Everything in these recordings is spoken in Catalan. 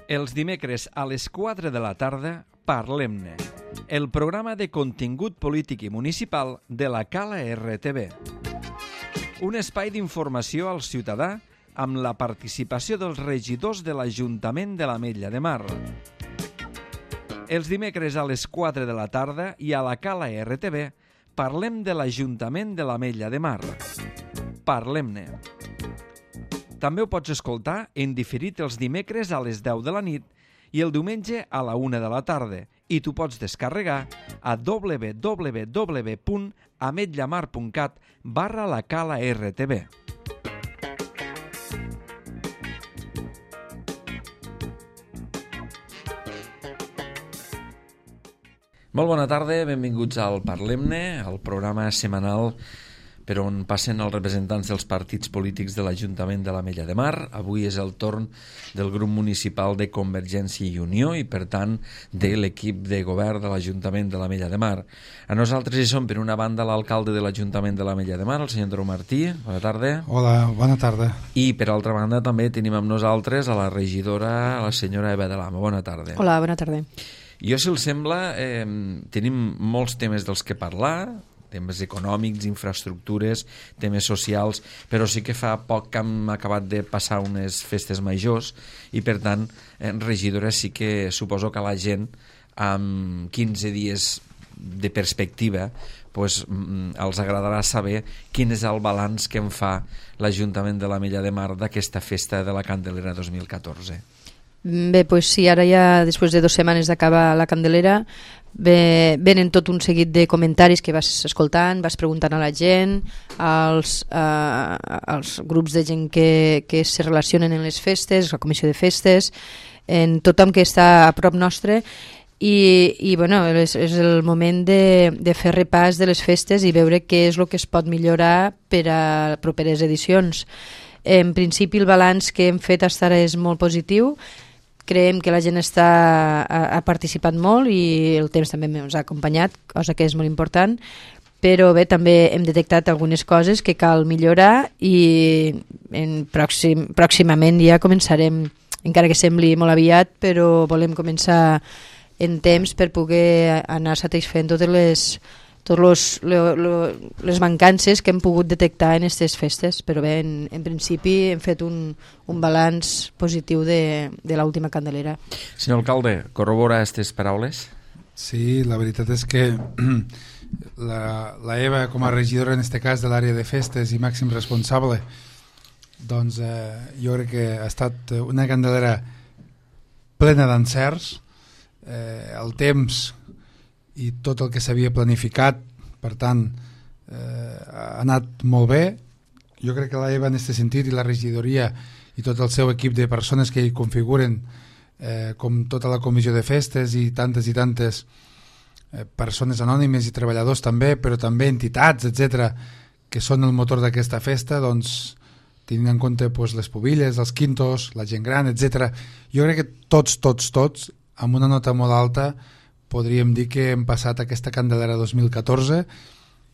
Els dimecres a les 4 de la tarda, Parlem-ne, el programa de contingut polític i municipal de la Cala RTV. Un espai d'informació al ciutadà amb la participació dels regidors de l'Ajuntament de l'Ametlla de Mar. Els dimecres a les 4 de la tarda i a la Cala RTV parlem de l'Ajuntament de l'Ametlla de Mar. Parlem-ne. També ho pots escoltar en diferit els dimecres a les 10 de la nit i el diumenge a la 1 de la tarda i t'ho pots descarregar a www.ametllamar.cat/la Cala RTV. Molt bona tarda, benvinguts al Parlem-ne, el programa setmanal per on passen els representants dels partits polítics de l'Ajuntament de l'Ametlla de Mar. Avui és el torn del grup municipal de Convergència i Unió i, per tant, de l'equip de govern de l'Ajuntament de l'Ametlla de Mar. A nosaltres hi som, per una banda, l'alcalde de l'Ajuntament de l'Ametlla de Mar, el senyor Andreu Martí. Bona tarda. Hola, bona tarda. I, per altra banda, també tenim amb nosaltres a la regidora, la senyora Eva de l'Ama. Bona tarda. Hola, bona tarda. Jo, si els sembla, tenim molts temes dels que parlar, temes econòmics, infraestructures, temes socials, però sí que fa poc que hem acabat de passar unes festes majors i, per tant, regidora, sí que suposo que la gent, amb 15 dies de perspectiva, pues, els agradarà saber quin és el balanç que en fa l'Ajuntament de l'Ametlla de Mar d'aquesta festa de la Candelera 2014. Bé, doncs sí, ara ja després de 2 setmanes d'acabar la Candelera venen tot un seguit de comentaris que vas escoltant, vas preguntant a la gent, als grups de gent que se relacionen en les festes, la comissió de festes, en tothom que està a prop nostre i bueno, és el moment de fer repàs de les festes i veure què és el que es pot millorar per a properes edicions. En principi el balanç que hem fet fins ara és molt positiu. Creiem que la gent ha participat molt i el temps també ens ha acompanyat, cosa que és molt important, però bé, també hem detectat algunes coses que cal millorar i pròximament ja començarem, encara que sembli molt aviat, però volem començar en temps per poder anar satisfent totes les mancances que hem pogut detectar en aquestes festes, però bé, en principi hem fet un balanç positiu de l'última Candelera. Senyor alcalde, corrobora aquestes paraules? Sí, la veritat és que la Eva, com a regidora en aquest cas de l'àrea de festes i màxim responsable, doncs jo crec que ha estat una Candelera plena d'encerts. El temps i tot el que s'havia planificat, per tant, ha anat molt bé. Jo crec que la Eva en aquest sentit i la regidoria i tot el seu equip de persones que hi configuren, com tota la comissió de festes i tantes persones anònimes i treballadors també, però també entitats, etc, que són el motor d'aquesta festa, doncs tenint en compte les pubilles, els quintos, la gent gran, etc. Jo crec que tots, amb una nota molt alta, podríem dir que hem passat aquesta Candelera 2014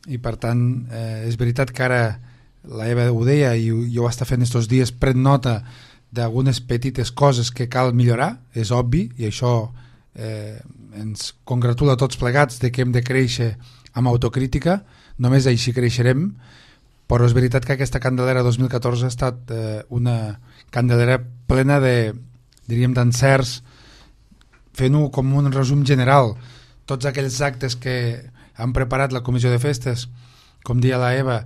i, per tant, és veritat que ara la Eva ho deia i jo ho està fent estos dies, pren nota d'algunes petites coses que cal millorar, és obvi, i això ens congratula a tots plegats de que hem de créixer amb autocrítica, només així creixerem, però és veritat que aquesta Candelera 2014 ha estat una Candelera plena diríem, d'encerts. Fent-ho com un resum general, tots aquells actes que han preparat la comissió de festes, com dia la Eva,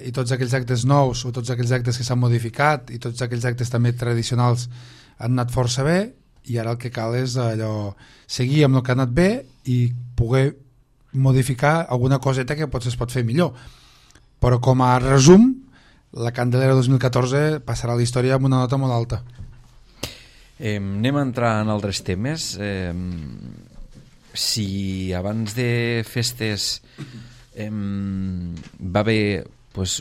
i tots aquells actes nous o tots aquells actes que s'han modificat i tots aquells actes també tradicionals han anat força bé, i ara el que cal és seguir amb el que ha anat bé i poder modificar alguna coseta que potser es pot fer millor. Però com a resum, la Candelera 2014 passarà a la història amb una nota molt alta. Anem a entrar en altres temes. Si abans de festes va haver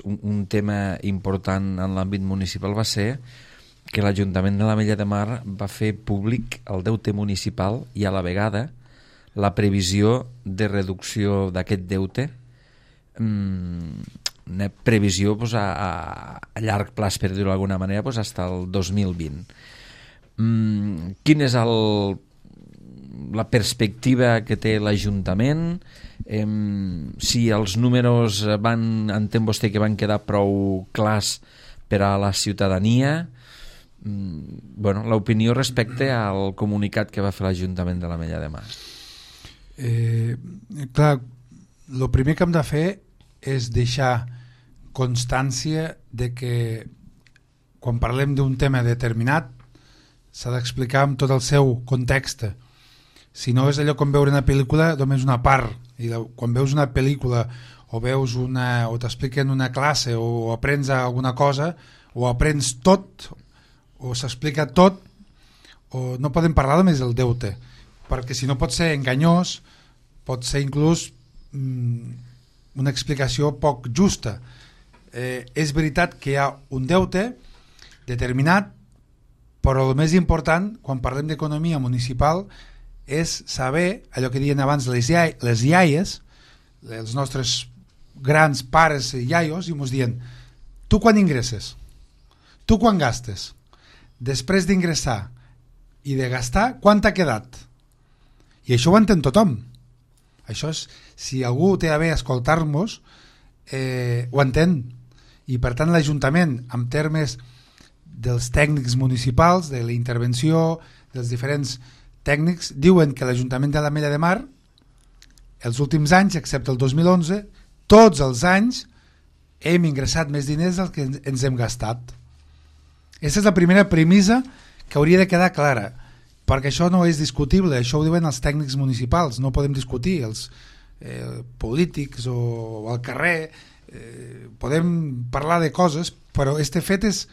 un tema important en l'àmbit municipal, va ser que l'Ajuntament de l'Ametlla de Mar va fer públic el deute municipal i a la vegada la previsió de reducció d'aquest deute, una previsió a llarg plaç, per dir-ho d'alguna manera, fins al 2020. Quina és la perspectiva que té l'Ajuntament? Si els números entén vostè que van quedar prou clars per a la ciutadania? L'opinió respecte al comunicat que va fer l'Ajuntament de l'Ametlla de Mar. Clar, el primer que hem de fer és deixar constància de que quan parlem d'un tema determinat s'ha d'explicar amb tot el seu context. Si no és allò com veure una pel·lícula, només una part, i quan veus una pel·lícula o t'expliquen una classe o aprens alguna cosa, o aprens tot o s'explica tot, o no podem parlar només del deute, perquè si no pot ser enganyós, pot ser inclús una explicació poc justa. És veritat que hi ha un deute determinat, però el més important quan parlem d'economia municipal és saber allò que diuen abans les iaies, els nostres grans pares i iaios, i ens diuen: tu quan ingresses? Tu quan gastes? Després d'ingressar i de gastar, quant t'ha quedat? I això ho entén tothom. Això és, si algú té a bé escoltar-nos, ho entén. I per tant l'Ajuntament, en termes dels tècnics municipals, de la intervenció dels diferents tècnics, diuen que l'Ajuntament de l'Ametlla de Mar, els últims anys, excepte el 2011, tots els anys hem ingressat més diners del que ens hem gastat. Aquesta és la primera premissa que hauria de quedar clara, perquè això no és discutible, això ho diuen els tècnics municipals, no podem discutir, els polítics o al carrer, podem parlar de coses, però este fet és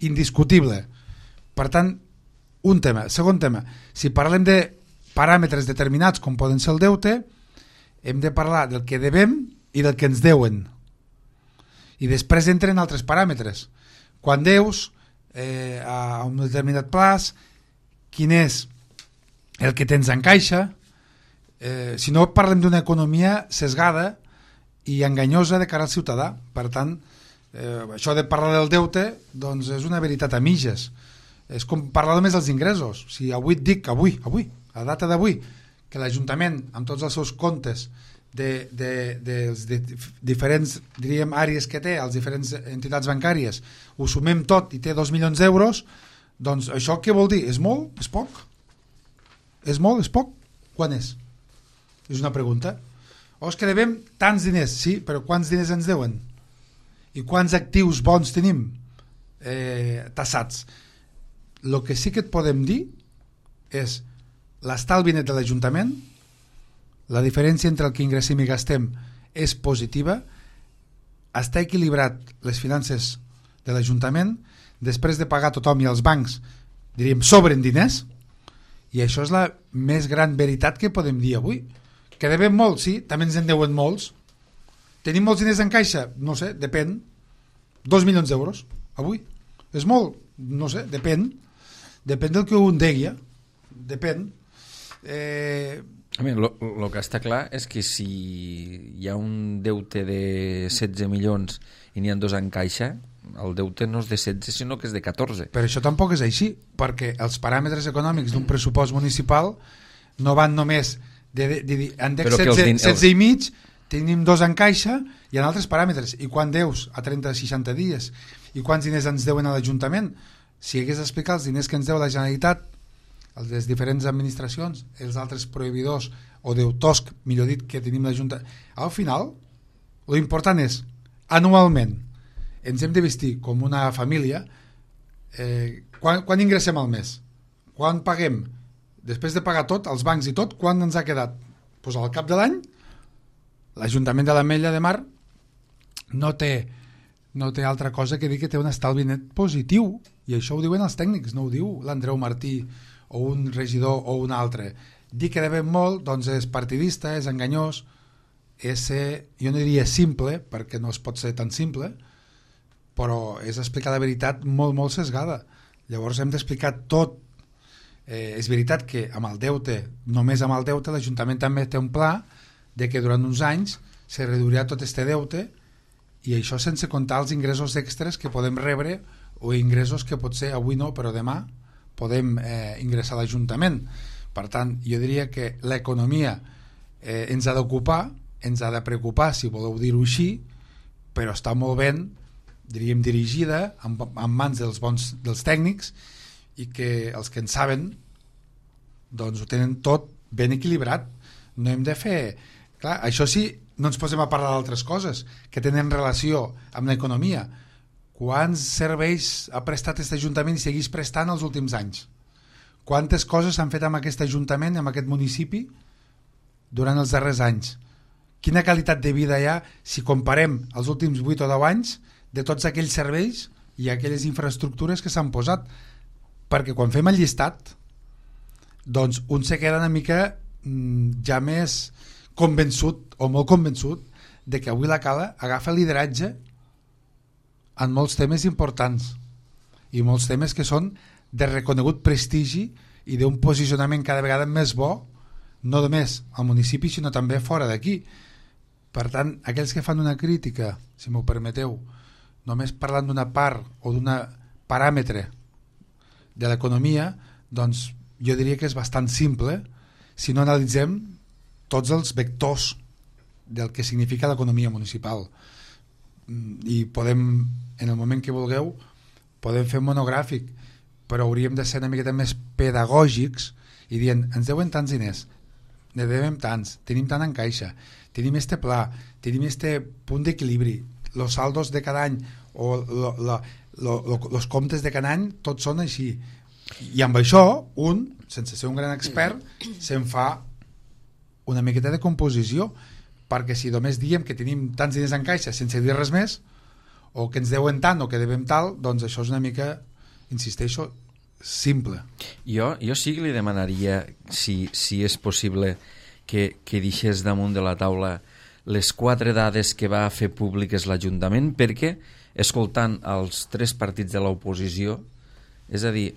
indiscutible. Per tant, un tema. Segon tema, si parlem de paràmetres determinats com poden ser el deute, hem de parlar del que devem i del que ens deuen. I després entren altres paràmetres. Quan deus a un determinat plaç, quin és el que tens en caixa. Si no, parlem d'una economia sesgada i enganyosa de cara al ciutadà. Per tant, això de parlar del deute doncs és una veritat a mitges. És com parlar només dels ingressos. Si avui et dic, avui, a data d'avui, que l'Ajuntament, amb tots els seus comptes de diferents, diríem, àrees que té, les diferents entitats bancàries, ho sumem tot i té 2 milions d'euros, doncs això què vol dir? És molt? És poc? És molt? És poc? Quan és? És una pregunta. O és que devem tants diners? Sí, però quants diners ens deuen? I quants actius bons tenim tassats? El que sí que et podem dir és l'estalvi net de l'Ajuntament, la diferència entre el que ingressem i gastem és positiva, està equilibrat les finances de l'Ajuntament, després de pagar tothom i els bancs, diríem, sobren diners, i això és la més gran veritat que podem dir avui. Que devem molt, sí, també ens en deuen molts. Tenim molts diners en caixa? No sé, depèn. 2 milions d'euros, avui. És molt? No sé, depèn. Depèn del que un deia. Depèn. El que està clar és que si hi ha un deute de 16 milions i n'hi ha 2 en caixa, el deute no és de 16 sinó que és de 14. Però això tampoc és així, perquè els paràmetres econòmics d'un pressupost municipal no van només en 16 i mig, tenim 2 en caixa, hi ha altres paràmetres. I quan deus a 30-60 dies? I quants diners ens deuen a l'Ajuntament? Si hagués d'explicar els diners que ens deu la Generalitat, les diferents administracions, els altres prohibidors o deutors, millor dit, que tenim l'Ajuntament, al final l'important és anualment ens hem de vestir com una família. Quan ingressem al mes? Quan paguem? Després de pagar tot, els bancs i tot, quan ens ha quedat? Pues al cap de l'any l'Ajuntament de l'Ametlla de Mar no té altra cosa que dir que té un estalvi net positiu, i això ho diuen els tècnics, no ho diu l'Andreu Martí o un regidor o un altre. Dir que devem molt doncs és partidista, és enganyós, jo no diria simple, perquè no es pot ser tan simple, però és explicar la veritat molt, molt sesgada. Llavors hem d'explicar tot. És veritat que amb el deute, només amb el deute, l'Ajuntament també té un pla de que durant uns anys se reduirà tot este deute, i això sense comptar els ingressos extres que podem rebre o ingressos que potser avui no, però demà podem ingressar a l'Ajuntament. Per tant, jo diria que l'economia ens ha d'ocupar, ens ha de preocupar, si voleu dir-ho així, però està molt ben, diríem, dirigida en mans dels tècnics, i que els que en saben doncs ho tenen tot ben equilibrat. No hem de fer... Clar, això sí, no ens posem a parlar d'altres coses que tenen relació amb l'economia. Quants serveis ha prestat aquest Ajuntament i segueix prestant els últims anys? Quantes coses s'han fet amb aquest Ajuntament, amb aquest municipi, durant els darrers anys? Quina qualitat de vida hi ha si comparem els últims 8 o 10 anys de tots aquells serveis i aquelles infraestructures que s'han posat? Perquè quan fem el llistat, doncs un se queda una mica ja més convençut o molt convençut de que avui la Cala agafa lideratge en molts temes importants i molts temes que són de reconegut prestigi i d'un posicionament cada vegada més bo, no només al municipi sinó també fora d'aquí. Per tant, aquells que fan una crítica, si m'ho permeteu, només parlant d'una part o d'un paràmetre de l'economia, doncs jo diria que és bastant simple si no analitzem tots els vectors del que significa l'economia municipal. I podem, en el moment que vulgueu, podem fer un monogràfic, però hauríem de ser una miqueta més pedagògics i dient, ens deuen tants diners, ne devem tants, tenim tant en caixa, tenim este pla, tenim este punt d'equilibri, els saldos de cada any o els comptes de cada any, tots són així. I amb això, un, sense ser un gran expert, se'n fa una miqueta de composició, perquè si només diem que tenim tants diners en caixa sense dir res més, o que ens deuen tant o que devem tal, doncs això és una mica, insisteixo, simple. Jo sí que li demanaria, si és possible, que deixés damunt de la taula les 4 dades que va fer públiques l'Ajuntament, perquè, escoltant els 3 partits de l'oposició, és a dir,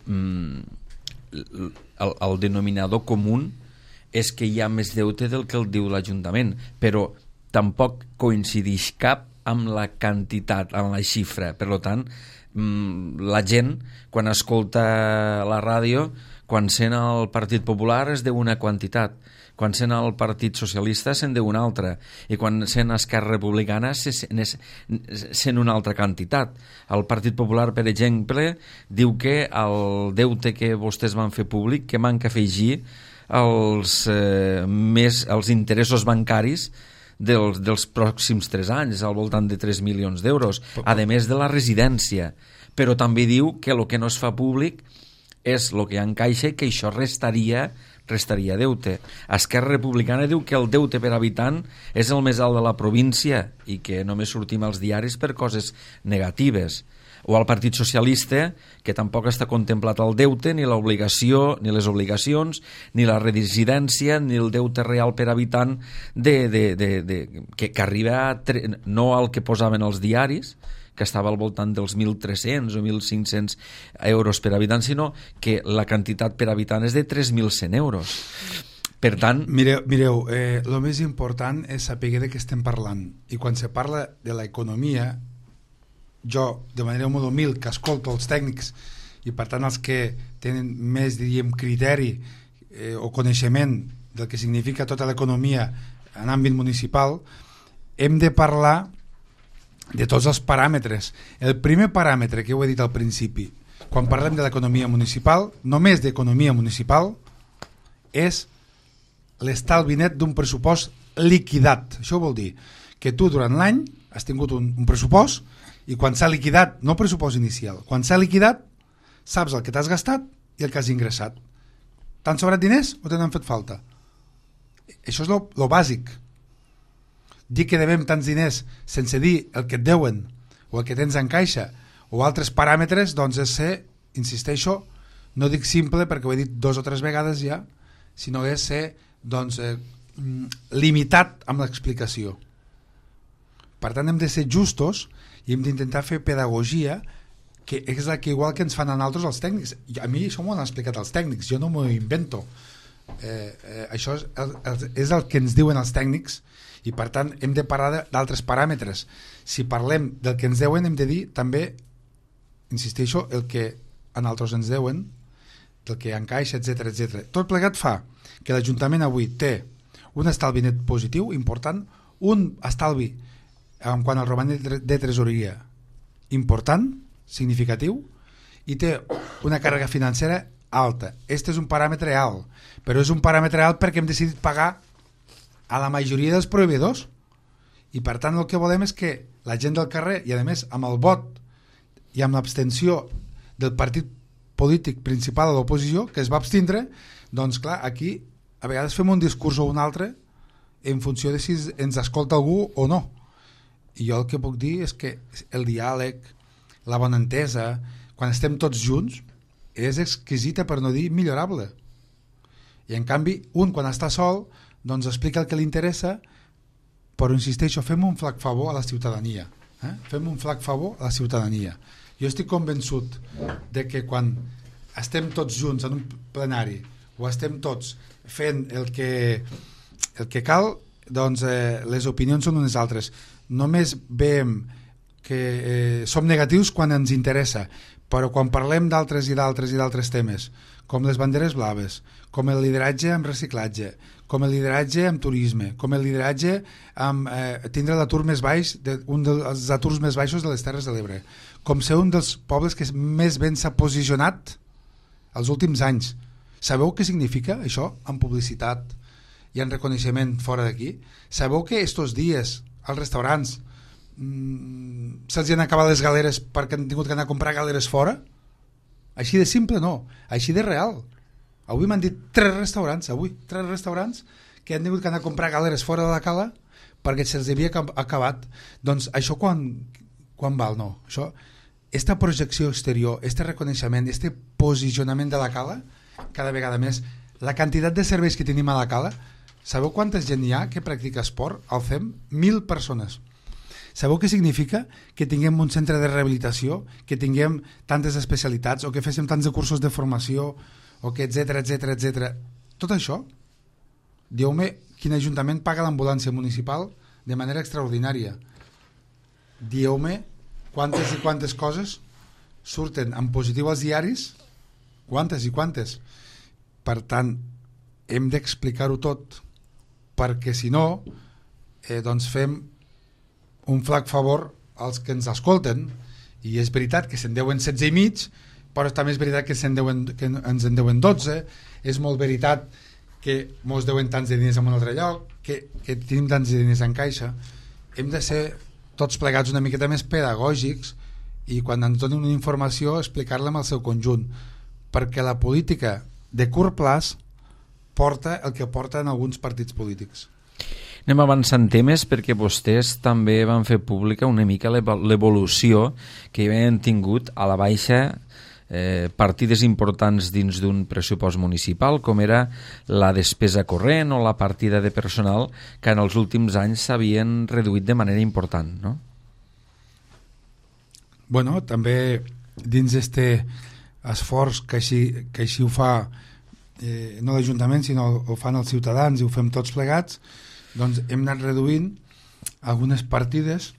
el denominador comú és que hi ha més deute del que el diu l'Ajuntament, però tampoc coincideix cap amb la quantitat, amb la xifra. Per tant, la gent, quan escolta la ràdio, quan sent el Partit Popular es deu una quantitat, quan sent el Partit Socialista se'n deu una altra, i quan sent Esquerra Republicana sent una altra quantitat. El Partit Popular, per exemple, diu que el deute que vostès van fer públic, que manca afegir els interessos bancaris dels pròxims 3 anys, al voltant de 3 milions d'euros, a més de la residència. Però també diu que el que no es fa públic és el que hi ha en caixa i que això restaria deute. Esquerra Republicana diu que el deute per habitant és el més alt de la província i que només sortim als diaris per coses negatives. O el Partit Socialista, que tampoc està contemplat el deute, ni l'obligació, ni les obligacions, ni la residència, ni el deute real per habitant que arriba no al que posaven els diaris, que estava al voltant dels 1.300 o 1.500 euros per habitant, sinó que la quantitat per habitant és de 3.100 euros. Per tant... Mireu, el més important és saber de què estem parlant. I quan se parla de l'economia, jo, de manera molt humil, que escolto els tècnics i per tant els que tenen més, diríem, criteri o coneixement del que significa tota l'economia en àmbit municipal, hem de parlar de tots els paràmetres. El primer paràmetre que ho he dit al principi, quan parlem de l'economia municipal, només d'economia municipal, és l'estalvi net d'un pressupost liquidat. Això vol dir que tu durant l'any has tingut un pressupost i quan s'ha liquidat, no pressupost inicial, quan s'ha liquidat saps el que t'has gastat i el que has ingressat. T'han sobrat diners o te n'han fet falta? Això és lo bàsic. Dir que devem tants diners sense dir el que et deuen o el que tens en caixa o altres paràmetres, doncs és ser, insisteixo, no dic simple perquè ho he dit 2 o 3 vegades ja, sinó és ser doncs, limitat amb l'explicació. Per tant, hem de ser justos i hem d'intentar fer pedagogia, que és la que igual que ens fan a nosaltres els tècnics. A mi això m'ho han explicat els tècnics, jo no m'ho invento. Això és el que ens diuen els tècnics i per tant hem de parlar d'altres paràmetres. Si parlem del que ens deuen hem de dir també, insisteixo, el que a nosaltres ens deuen del que encaixa, etc. Tot plegat fa que l'Ajuntament avui té un estalvi net positiu important, un estalvi en quant al romanent de tresoreria important, significatiu, i té una càrrega financera alta. Este és un paràmetre alt, però és un paràmetre alt perquè hem decidit pagar a la majoria dels proveïdors, i per tant el que volem és que la gent del carrer, i a més amb el vot i amb l'abstenció del partit polític principal de l'oposició, que es va abstindre, doncs clar, aquí a vegades fem un discurs o un altre en funció de si ens escolta algú o no. I jo el que puc dir és que el diàleg, la bona entesa, quan estem tots junts, és exquisita, per no dir millorable. I en canvi, un quan està sol, doncs explica el que li interessa, però insisteixo, fem un flac favor a la ciutadania. Fem un flac favor a la ciutadania. Jo estic convençut de que quan estem tots junts en un plenari o estem tots fent el que cal, doncs les opinions són unes altres. Només veiem que som negatius quan ens interessa, però quan parlem d'altres i d'altres temes, com les banderes blaves, com el lideratge amb reciclatge, com el lideratge amb turisme, com el lideratge amb tindre l'atur més baix, un dels aturs més baixos de les Terres de l'Ebre, com ser un dels pobles que més ben s'ha posicionat els últims anys. Sabeu què significa això en publicitat i en reconeixement fora d'aquí? Sabeu que estos dies als restaurants se'ls han acabat les galeres perquè han tingut que anar a comprar galeres fora? Així de simple, no, així de real. Avui m'han dit 3 restaurants que han tingut que anar a comprar galeres fora de la cala perquè se'ls havia acabat. Doncs això quan val, no? Això, esta projecció exterior, este reconeixement, este posicionament de la cala, cada vegada més, la quantitat de serveis que tenim a la cala, sabeu quanta gent hi ha que practica esport? El fem 1.000 persones. Sabeu què significa? Que tinguem un centre de rehabilitació, que tinguem tantes especialitats, o que féssim tants de cursos de formació, o que etc. Tot això, dieu-me quin ajuntament paga l'ambulància municipal de manera extraordinària. Dieu-me quantes i quantes coses surten en positiu als diaris, quantes i quantes. Per tant, hem d'explicar-ho tot, perquè si no, doncs fem un flac favor als que ens escolten, i és veritat que se'n deuen 16 i mig, però també és veritat que ens en deuen 12, és molt veritat que mos deuen tants de diners en un altre lloc, que tenim tants de diners en caixa. Hem de ser tots plegats una miqueta més pedagògics i quan ens donin una informació explicar-la en el seu conjunt, perquè la política de curt plaç porta el que porten alguns partits polítics. Anem avançant temes perquè vostès també van fer pública una mica l'evolució que havien tingut a la baixa partides importants dins d'un pressupost municipal, com era la despesa corrent o la partida de personal, que en els últims anys s'havien reduït de manera important, no? Bueno, també dins este esforç que així ho fa no l'Ajuntament, sinó ho fan els ciutadans i ho fem tots plegats, doncs hem anat reduint algunes partides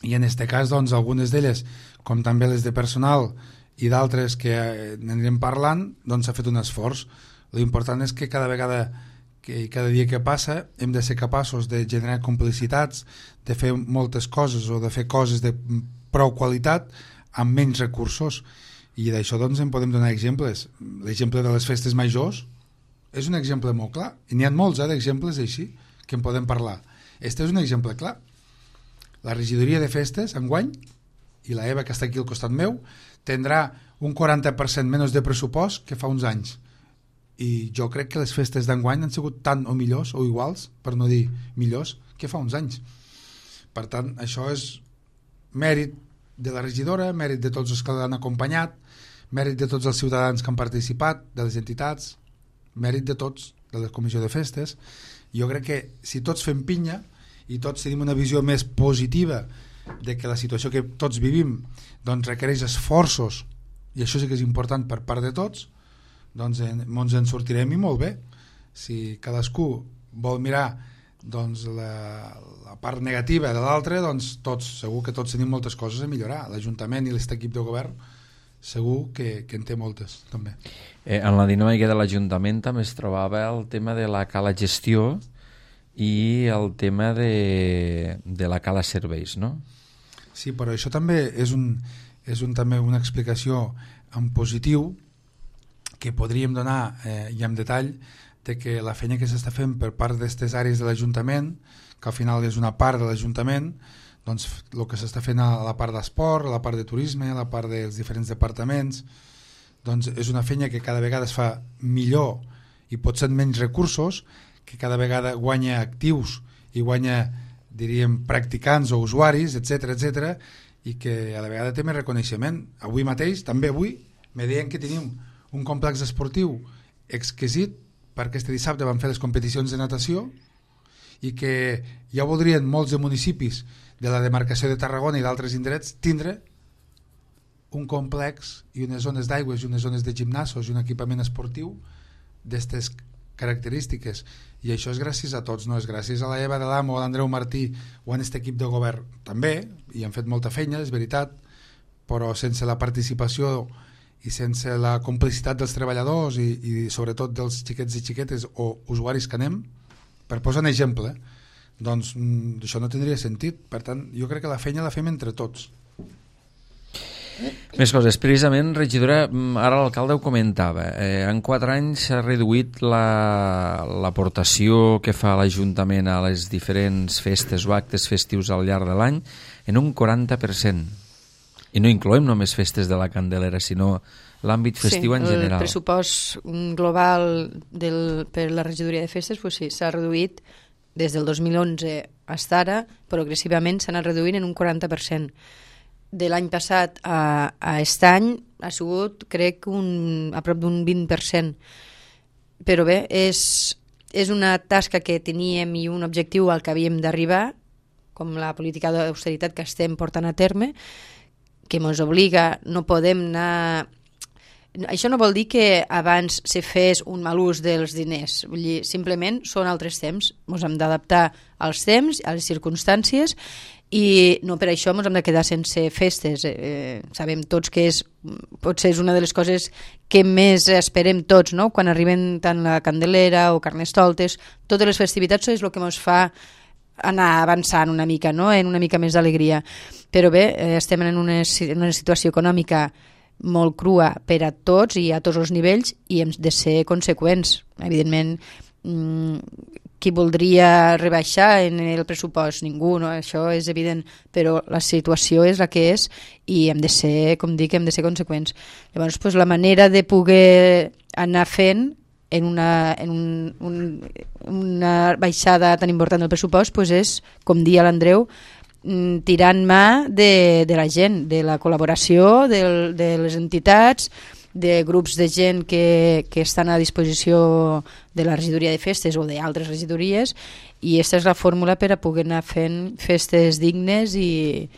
i en aquest cas doncs algunes d'elles, com també les de personal i d'altres que n'anirem parlant, doncs s'ha fet un esforç. L'important és que cada vegada que cada dia que passa hem de ser capaços de generar complicitats, de fer moltes coses o de fer coses de prou qualitat amb menys recursos, i d'això doncs en podem donar exemples. L'exemple de les festes majors és un exemple molt clar, i n'hi ha molts d'exemples així que en podem parlar. Este és un exemple clar. La regidoria de festes enguany, i la Eva que està aquí al costat meu, tindrà un 40% menys de pressupost que fa uns anys, i jo crec que les festes d'enguany han sigut tant o millors o iguals, per no dir millors, que fa uns anys. Per tant, això és mèrit de la regidora, mèrit de tots els que l'han acompanyat, mèrit de tots els ciutadans que han participat, de les entitats, mèrit de tots, de la comissió de festes. Jo crec que si tots fem pinya i tots tenim una visió més positiva de que la situació que tots vivim doncs requereix esforços, i això sí que és important per part de tots, doncs ens en sortirem i molt bé. Si cadascú vol mirar doncs la part negativa de l'altre, doncs segur que tots tenim moltes coses a millorar. L'Ajuntament i l'este equip de govern segur que en té moltes també. En la dinàmica de l'Ajuntament també es trobava el tema de la cala gestió i el tema de la cala serveis, no? Sí, però això també és també una explicació en positiu que podríem donar i en detall de que la feina que s'està fent per part d'aquestes àrees de l'Ajuntament, que al final és una part de l'Ajuntament, doncs el que s'està fent a la part d'esport, a la part de turisme, a la part dels diferents departaments, doncs és una feina que cada vegada es fa millor i potser amb menys recursos, que cada vegada guanya actius i guanya, diríem, practicants o usuaris, etc, i que a la vegada té més reconeixement. Avui mateix, també avui, me deien que tenim un complex esportiu exquisit perquè este dissabte van fer les competicions de natació i que ja voldrien molts de municipis de la demarcació de Tarragona i d'altres indrets tindre un complex i unes zones d'aigües i unes zones de gimnasos i un equipament esportiu d'aquestes característiques, i això és gràcies a tots, no és gràcies a la Eva de l'Amo o a l'Andreu Martí o a aquest equip de govern també, i han fet molta feina, és veritat, però sense la participació i sense la complicitat dels treballadors i sobretot dels xiquets i xiquetes o usuaris que anem, per posar un exemple, doncs això no tindria sentit. Per tant, jo crec que la feina la fem entre tots. Més coses, precisament, regidora, ara l'alcalde ho comentava, en 4 anys s'ha reduït l'aportació que fa l'Ajuntament a les diferents festes o actes festius al llarg de l'any en un 40%. I no incloem només festes de la Candelera, sinó l'àmbit festiu en general. El pressupost global per la regidoria de festes s'ha reduït des del 2011 fins ara, progressivament s'ha anat reduint en un 40%. De l'any passat a aquest any ha sigut, crec, a prop d'un 20%. Però bé, és una tasca que teníem i un objectiu al que havíem d'arribar, com la política d'austeritat que estem portant a terme, que ens obliga, no podem anar... Això no vol dir que abans se fes un mal ús dels diners, vull dir, simplement són altres temps, ens hem d'adaptar als temps, a les circumstàncies, i no per això ens hem de quedar sense festes. Sabem tots que potser és una de les coses que més esperem tots, no? Quan arriben tant la Candelera o Carnestoltes, totes les festivitats és el que ens fa anar avançant una mica, no? En una mica més d'alegria. Però bé, estem en una situació econòmica molt crua per a tots i a tots els nivells i hem de ser conseqüents. Evidentment, qui voldria rebaixar en el pressupost? Ningú, no? Això és evident, però la situació és la que és i hem de ser, com dic, hem de ser conseqüents. Llavors, la manera de poder anar fent en una baixada tan important del pressupost és, com dia l'Andreu, tirant mà de la gent, de la col·laboració de les entitats, de grups de gent que estan a disposició de la regidoria de festes o d'altres regidories, i aquesta és la fórmula per a poder anar fent festes dignes i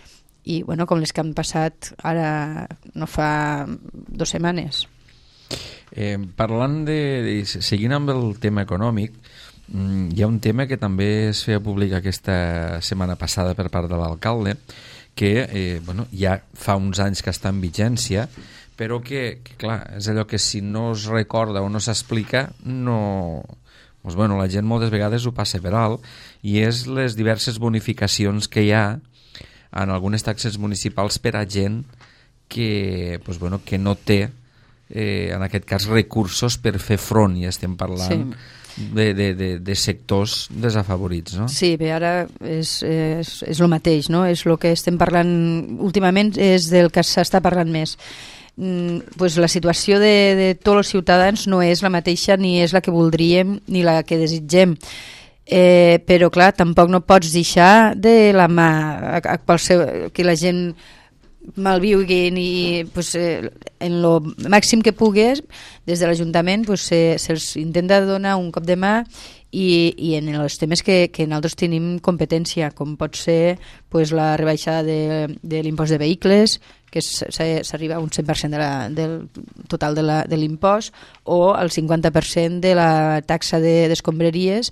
bueno, com les que han passat ara no fa 2 setmanes. Parlant seguint amb el tema econòmic, hi ha un tema que també es feia públic aquesta setmana passada per part de l'alcalde, que ja fa uns anys que està en vigència, però que clar, és allò que si no es recorda o no s'explica, la gent moltes vegades ho passa per alt, i és les diverses bonificacions que hi ha en algunes taxes municipals per a gent que no té, en aquest cas, recursos per fer front, i estem parlant de sectors desafavorits, no? Sí, bé, ara és el mateix, no? És el que estem parlant últimament, és del que s'està parlant més. La situació de tots els ciutadans no és la mateixa, ni és la que voldríem ni la que desitgem, però clar, tampoc no pots deixar de la mà que la gent malviuguin i en lo màxim que pugues des de l'Ajuntament se'ls intenta donar un cop de mà i en els temes que nosaltres tenim competència, com pot ser la rebaixada de l'impost de vehicles, que s'arriba a un 100% del total de l'impost, o el 50% de la taxa d'escombraries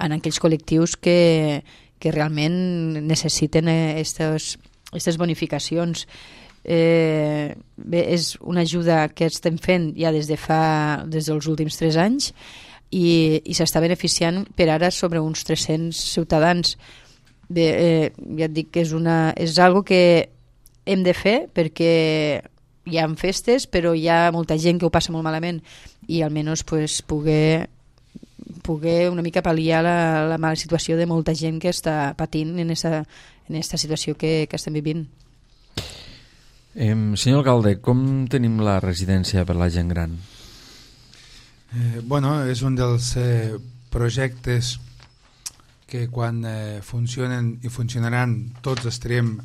en aquells col·lectius que realment necessiten aquestes bonificacions. bé, és una ajuda que estem fent ja des dels últims 3 anys i s'està beneficiant per ara sobre uns 300 ciutadans. Bé, ja et dic que és algo que hem de fer perquè hi ha festes, però hi ha molta gent que ho passa molt malament i almenys pues, poder una mica pal·liar la mala situació de molta gent que està patint en aquesta situació que estem vivint. Senyor alcalde, com tenim la residència per la gent gran? Bueno, és un dels projectes que quan funcionen i funcionaran tots estarem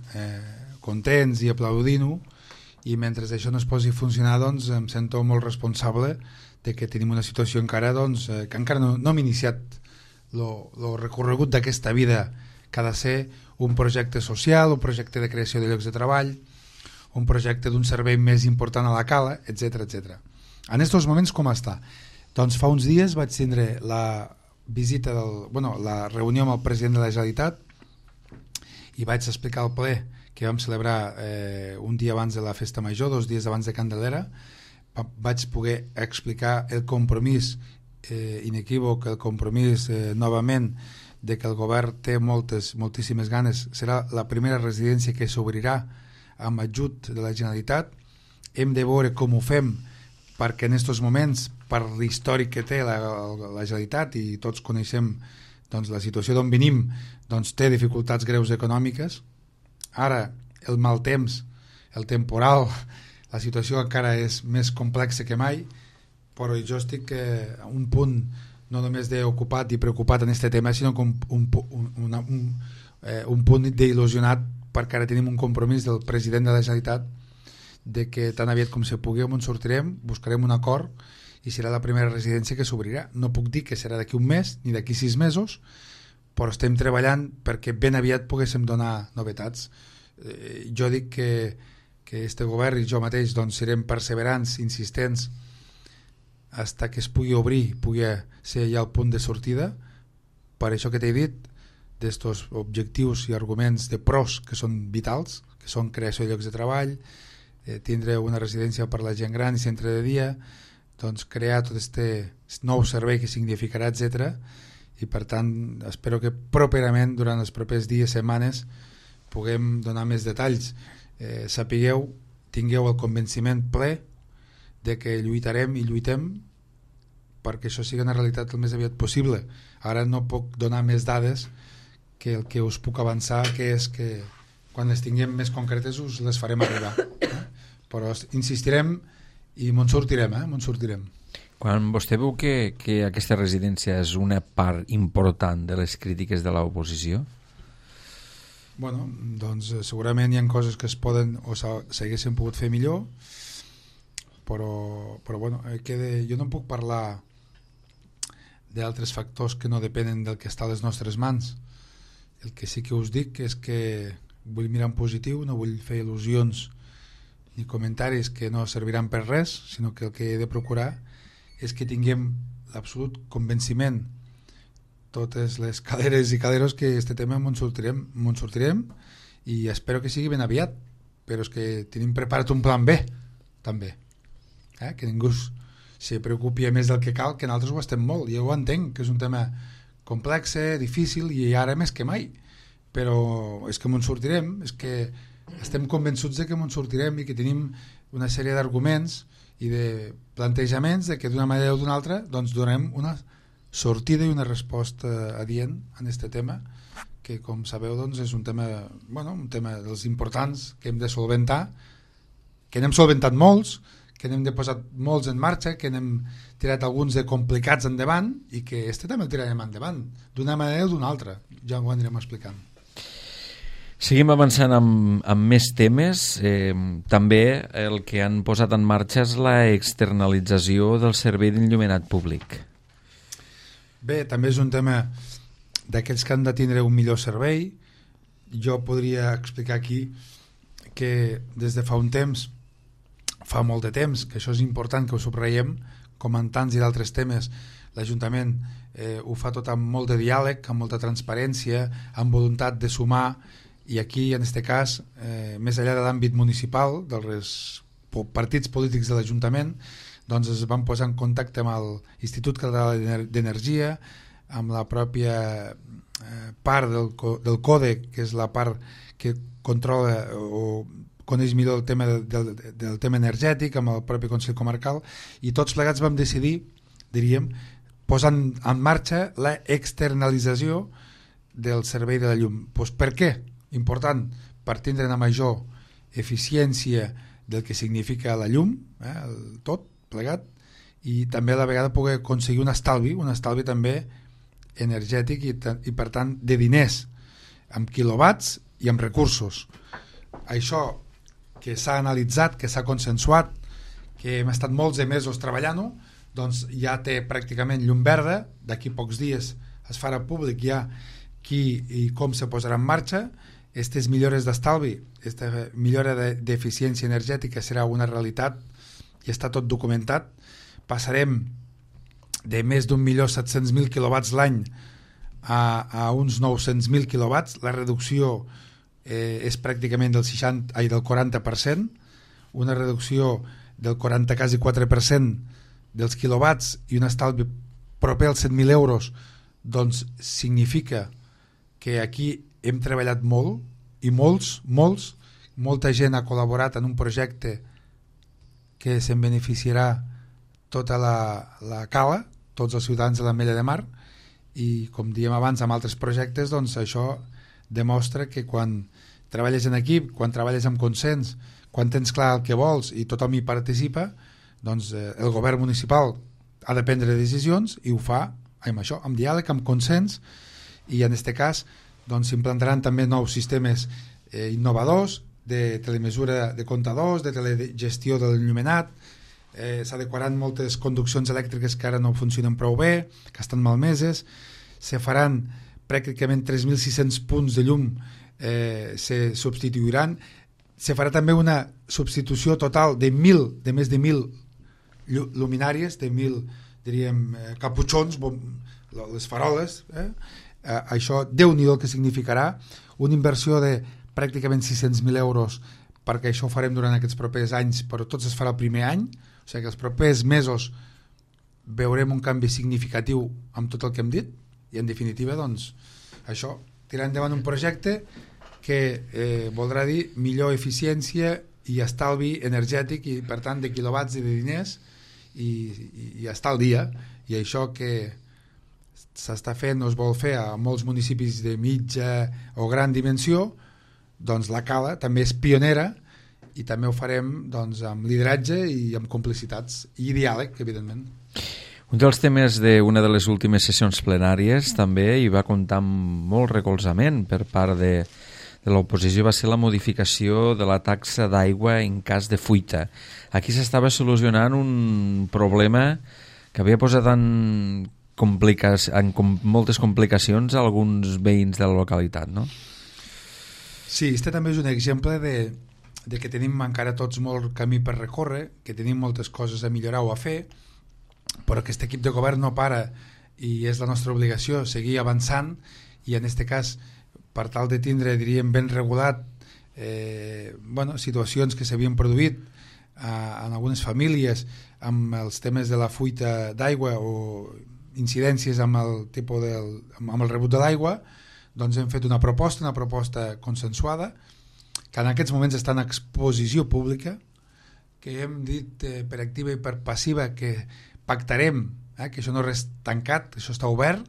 contents i aplaudint-ho, i mentre això no es posi a funcionar doncs em sento molt responsable de que tenim una situació encara doncs, que encara no hem iniciat el recorregut d'aquesta vida que ha de ser un projecte social, un projecte de creació de llocs de treball, un projecte d'un servei més important a la cala, etc etc. En aquests moments com està? Doncs fa uns dies vaig tindre la reunió amb el president de la Generalitat i vaig explicar al ple que vam celebrar un dia abans de la festa major, 2 dies abans de Candelera. Vaig poder explicar el compromís inequívoc, el compromís novament de que el govern té moltíssimes ganes. Serà la primera residència que s'obrirà amb ajut de la Generalitat. Hem de veure com ho fem perquè en aquests moments, per l'històric que té la Generalitat i tots coneixem doncs, la situació d'on venim, doncs, té dificultats greus econòmiques. Ara el mal temps, el temporal, la situació encara és més complexa que mai, però jo estic a un punt no només d'ocupat i preocupat en aquest tema, sinó un punt d'il·lusionat perquè ara tenim un compromís del president de la Generalitat de que tan aviat com se pugui on sortirem, buscarem un acord i serà la primera residència que s'obrirà. No puc dir que serà d'aquí un mes ni d'aquí 6 mesos, però estem treballant perquè ben aviat poguéssim donar novetats. Jo dic que este govern i jo mateix doncs, serem perseverants, insistents, fins que es pugui obrir, pugui ser ja el punt de sortida. Per això que t'he dit, d'estos objectius i arguments de pros que són vitals, que són creació de llocs de treball, tindre una residència per la gent gran i centre de dia, doncs crear tot aquest nou servei que significarà, etc. I per tant espero que properament durant els propers dies, setmanes, puguem donar més detalls. Sapigueu, tingueu el convenciment ple de que lluitarem i lluitem perquè això sigui una realitat el més aviat possible. Ara no puc donar més dades que el que us puc avançar, que és que quan les tinguem més concretes us les farem arribar. Però insistirem i me'n sortirem, me'n sortirem. Quan vostè veu que aquesta residència és una part important de les crítiques de l'oposició? Bueno, doncs segurament hi ha coses que es poden o s'haguessin pogut fer millor, però bueno, jo no puc parlar d'altres factors que no depenen del que està a les nostres mans. El que sí que us dic és que vull mirar en positiu, no vull fer il·lusions ni comentaris que no serviran per res, sinó que el que he de procurar és que tinguem l'absolut convenciment, totes les caleres i caleros, que este tema m'en sortirem i espero que sigui ben aviat, però és que tenim preparat un plan B també, que ningú se preocupi més del que cal, que nosaltres ho estem molt, jo ho entenc, que és un tema complex, difícil i ara més que mai, però és que m'en sortirem, és que estem convençuts de que m'en sortirem i que tenim una sèrie d'arguments i de plantejaments de que d'una manera o d'una altra doncs donem una sortida i una resposta adient en aquest tema, que com sabeu doncs és un tema dels importants que hem de solventar, que n'hem solventat molts, que n'hem de posar molts en marxa, que n'hem tirat alguns de complicats endavant i que este també el tirarem endavant d'una manera o d'una altra, ja ho anirem explicant. Seguim avançant amb més temes. També el que han posat en marxa és la externalització del servei d'enllumenat públic. Bé, també és un tema d'aquells que han de tindre un millor servei. Jo podria explicar aquí que des de fa un temps, fa molt de temps, que això és important que ho subratllem, com en tants i d'altres temes, l'Ajuntament ho fa tot amb molt de diàleg, amb molta transparència, amb voluntat de sumar i aquí, en aquest cas, més enllà de l'àmbit municipal, dels partits polítics de l'Ajuntament, doncs es van posar en contacte amb l'Institut Català d'Energia, amb la pròpia part del CODE, que és la part que controla o coneix millor el tema del tema energètic, amb el propi Consell Comarcal, i tots plegats vam decidir, diríem, posant en marxa la externalització del servei de la llum. Pues per què? Important, per tindre una major eficiència del que significa la llum, tot plegat, i també a la vegada poder aconseguir un estalvi també energètic i per tant de diners, amb quilowatts i amb recursos. Això que s'ha analitzat, que s'ha consensuat, que hem estat molts de mesos treballant-ho, doncs ja té pràcticament llum verda. D'aquí pocs dies es farà públic ja qui i com se posarà en marxa. Aquestes millores d'estalvi, aquesta millora d'eficiència energètica serà una realitat i està tot documentat. Passarem de més d'1.700.000 quilowatts l'any a uns 900.000 quilowatts. La reducció és pràcticament del 40%, una reducció del 40, quasi 4% dels quilowatts i un estalvi proper als 100.000 euros, doncs significa que aquí hem treballat molt i molta gent ha col·laborat en un projecte que se'n beneficiarà tota la cala, tots els ciutadans de l'Ametlla de Mar, i com diem abans amb altres projectes, doncs això demostra que quan treballes en equip, quan treballes amb consens, quan tens clar el que vols i tothom hi participa, doncs el govern municipal ha de prendre decisions i ho fa amb diàleg, amb consens, i en aquest cas doncs s'implantaran també nous sistemes innovadors de telemesura de comptadors, de telegestió de l'enllumenat, s'adequaran moltes conduccions elèctriques que ara no funcionen prou bé, que estan malmeses, se faran pràcticament 3.600 punts de llum, se substituiran, se farà també una substitució total de més de 1.000 luminàries, de 1.000 diríem caputxons, les faroles, això Déu-n'hi-do el que significarà, una inversió de pràcticament 600.000 euros, perquè això ho farem durant aquests propers anys, però tot es farà el primer any, o sigui que els propers mesos veurem un canvi significatiu amb tot el que hem dit, i en definitiva doncs això, tirar endavant un projecte que voldrà dir millor eficiència i estalvi energètic i per tant de quilowatts i de diners i estar al dia, i això que s'està fent o es vol fer a molts municipis de mitja o gran dimensió, doncs la Cala també és pionera i també ho farem doncs, amb lideratge i amb complicitats i diàleg, evidentment. Un dels temes d'una de les últimes sessions plenàries també hi va comptar amb molt recolzament per part de l'oposició, va ser la modificació de la taxa d'aigua en cas de fuita. Aquí s'estava solucionant un problema que havia posat en moltes complicacions a alguns veïns de la localitat, no? Sí, este també és un exemple de que tenim encara tots molt camí per recórrer, que tenim moltes coses a millorar o a fer, però aquest equip de govern no para i és la nostra obligació seguir avançant, i en aquest cas per tal de tindre, diríem, ben regulat situacions que s'havien produït en algunes famílies amb els temes de la fuita d'aigua o incidències amb el rebut de l'aigua, doncs hem fet una proposta consensuada, que en aquests moments està en exposició pública, que hem dit per activa i per passiva que pactarem, que això no és res tancat, això està obert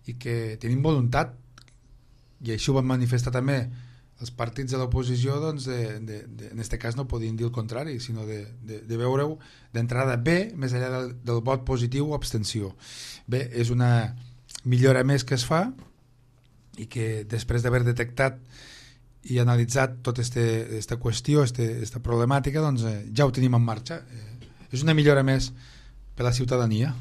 i que tenim voluntat, i això ho van manifestar també els partits de l'oposició, doncs en aquest cas no podien dir el contrari, sinó de veure-ho d'entrada bé, més enllà del vot positiu o abstenció. Bé, és una millora més que es fa i que després d'haver detectat i analitzat tota aquesta qüestió, aquesta problemàtica, doncs ja ho tenim en marxa. És una millora més per a la ciutadania.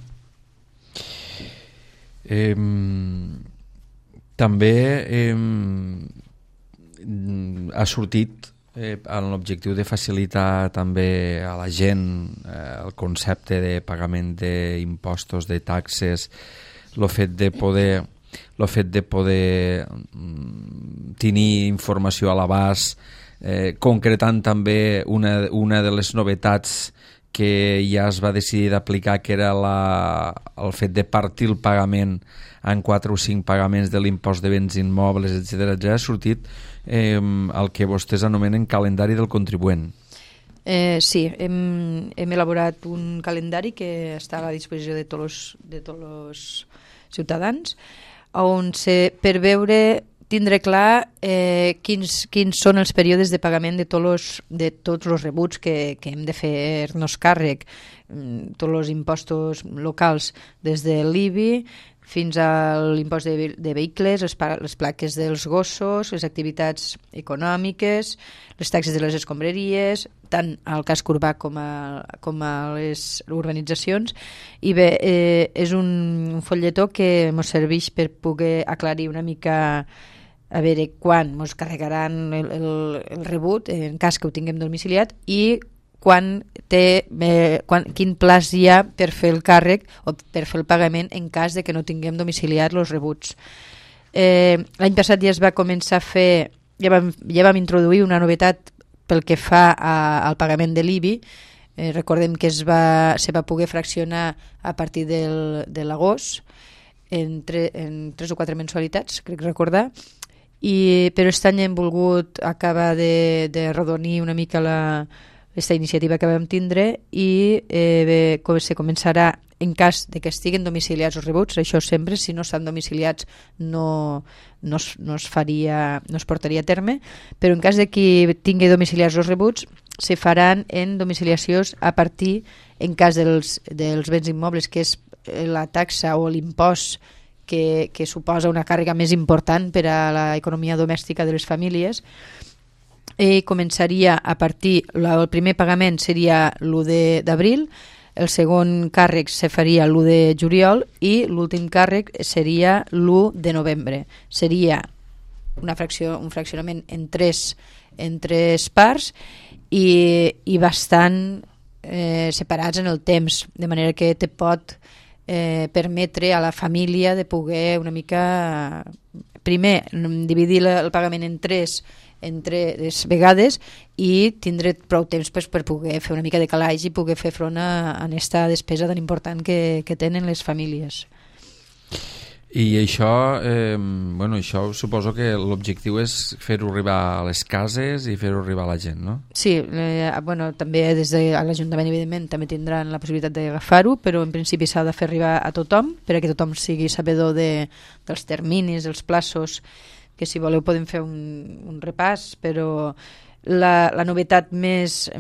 També ha sortit amb l'objectiu de facilitar també a la gent el concepte de pagament d'impostos, de taxes, el fet de poder el fet de poder tenir informació a l'abast, concretant també una de les novetats que ja es va decidir d'aplicar, que era el fet de partir el pagament en 4 o 5 pagaments de l'impost de béns immobles, etc. Ja ha sortit el que vostès anomenen calendari del contribuent. Sí, hem elaborat un calendari que està a la disposició de tots els ciutadans, on per veure, tindre clar quins són els períodes de pagament de tots els rebuts que hem de fer-nos càrrec, tots els impostos locals, des de l'IBI fins a l'impost de vehicles, les plaques dels gossos, les activitats econòmiques, les taxes de les escombraries, tant al casc urbà com a les urbanitzacions. I bé, és un folletó que ens serveix per poder aclarir una mica a veure quan ens carregaran el rebut en cas que ho tinguem domiciliat i quin plaç hi ha per fer el càrrec o per fer el pagament en cas de que no tinguem domiciliat els rebuts. L'any passat ja es va començar a fer, ja vam introduir una novetat pel que fa al pagament de l'IBI. Recordem que se va poder fraccionar a partir de l'agost en 3 o 4 mensualitats, crec recordar, però aquest any hem volgut acabar de redonir una mica aquesta iniciativa que vam tindre i se començarà en cas de que estiguen domiciliats els rebuts. Això sempre, si no estan domiciliats no es portaria a terme, però en cas de que tingui domiciliats els rebuts se faran en domiciliacions a partir, en cas dels béns immobles, que és la taxa o l'impost que suposa una càrrega més important per a l'economia domèstica de les famílies. I començaria a partir, el primer pagament seria l'1 d'abril, el segon càrrec se faria l'1 de juliol i l'últim càrrec seria l'1 de novembre. Seria un fraccionament en tres parts i bastant separats en el temps, de manera que te pot permetre a la família de poder una mica primer dividir el pagament en tres vegades i tindre prou temps per poder fer una mica de calaix i poder fer front a aquesta despesa tan important que tenen les famílies. I això, això suposo que l'objectiu és fer-ho arribar a les cases i fer-ho arribar a la gent, no? Sí, també des de l'Ajuntament, evidentment, també tindran la possibilitat d'agafar-ho, però en principi s'ha de fer arribar a tothom, perquè tothom sigui sabedor dels terminis, dels plaços, que si voleu podem fer un repàs, però la novetat més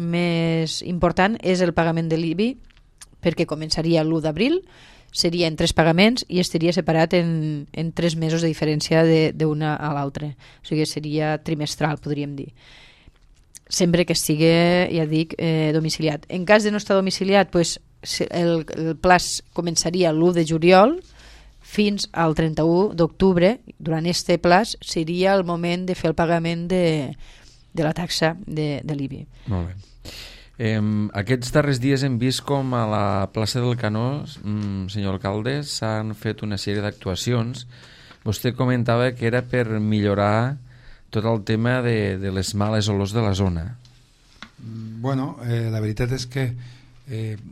important és el pagament de l'IBI, perquè començaria l'1 d'abril, seria en 3 pagaments i estaria separat en 3 mesos de diferència d'una a l'altra. O sigui, seria trimestral, podríem dir. Sempre que estigui, ja dic, domiciliat. En cas de no estar domiciliat, el plaç començaria l'1 de juliol fins al 31 d'octubre. Durant aquest plaç seria el moment de fer el pagament de la taxa de l'IBI. Molt bé. Aquests darrers dies hem vist com a la plaça del Canó, senyor alcalde, s'han fet una sèrie d'actuacions. Vostè comentava que era per millorar tot el tema de les males olors de la zona. La veritat és que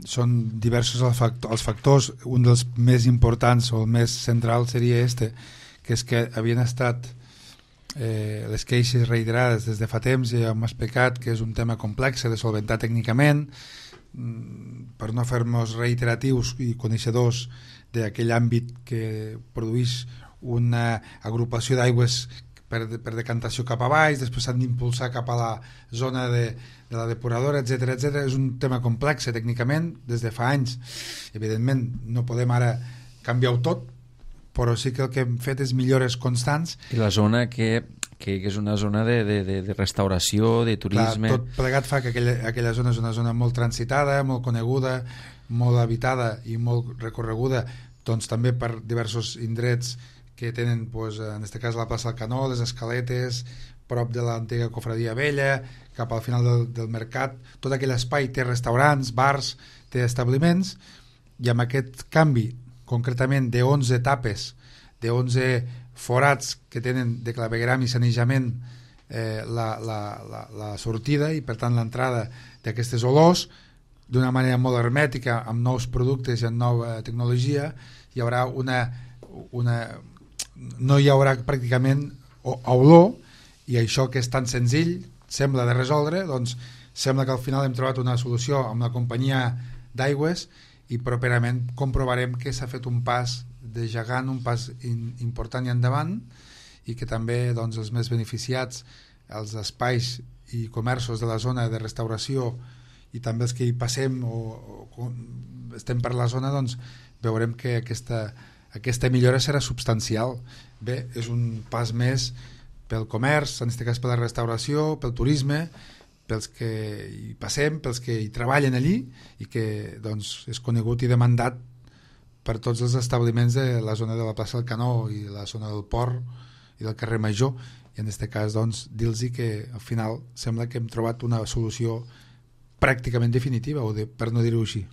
són diversos els factors. Un dels més importants o el més central seria que és que havien estat les queixes reiterades des de fa temps. Ja hem explicat que és un tema complex de solventar tècnicament, per no fer-nos reiteratius i coneixedors d'aquell àmbit que produeix una agrupació d'aigües per decantació cap a baix, després s'han d'impulsar cap a la zona de la depuradora, etc. És un tema complex tècnicament des de fa anys. Evidentment no podem ara canviar-ho tot, però sí que el que hem fet és millores constants. I la zona que és una zona de restauració, de turisme. Clar, tot plegat fa que aquella zona és una zona molt transitada, molt coneguda, molt habitada i molt recorreguda, doncs també per diversos indrets que tenen, en aquest cas, la plaça del Canó, les escaletes, prop de l'antiga cofradia vella, cap al final del mercat. Tot aquell espai té restaurants, bars, té establiments, i amb aquest canvi concretament de 11 etapes de 11 forats que tenen de clavegueram i sanejament la sortida i per tant l'entrada d'aquestes olors d'una manera molt hermètica, amb nous productes i amb nova tecnologia. Hi haurà no hi haurà pràcticament olor, i això que és tan senzill sembla de resoldre, doncs sembla que al final hem trobat una solució amb la companyia d'aigües i properament comprovarem que s'ha fet un pas de gegant, un pas important i endavant, i que també doncs, els més beneficiats, els espais i comerços de la zona de restauració i també els que hi passem o estem per la zona, doncs veurem que aquesta millora serà substancial. Bé, és un pas més pel comerç, en aquest cas per la restauració, pel turisme, pels que hi passem, pels que hi treballen allí, i que doncs, és conegut i demandat per tots els establiments de la zona de la plaça del Canó i la zona del Port i del carrer Major, i en aquest cas doncs, dir-los que al final sembla que hem trobat una solució pràcticament definitiva, per no dir-ho així.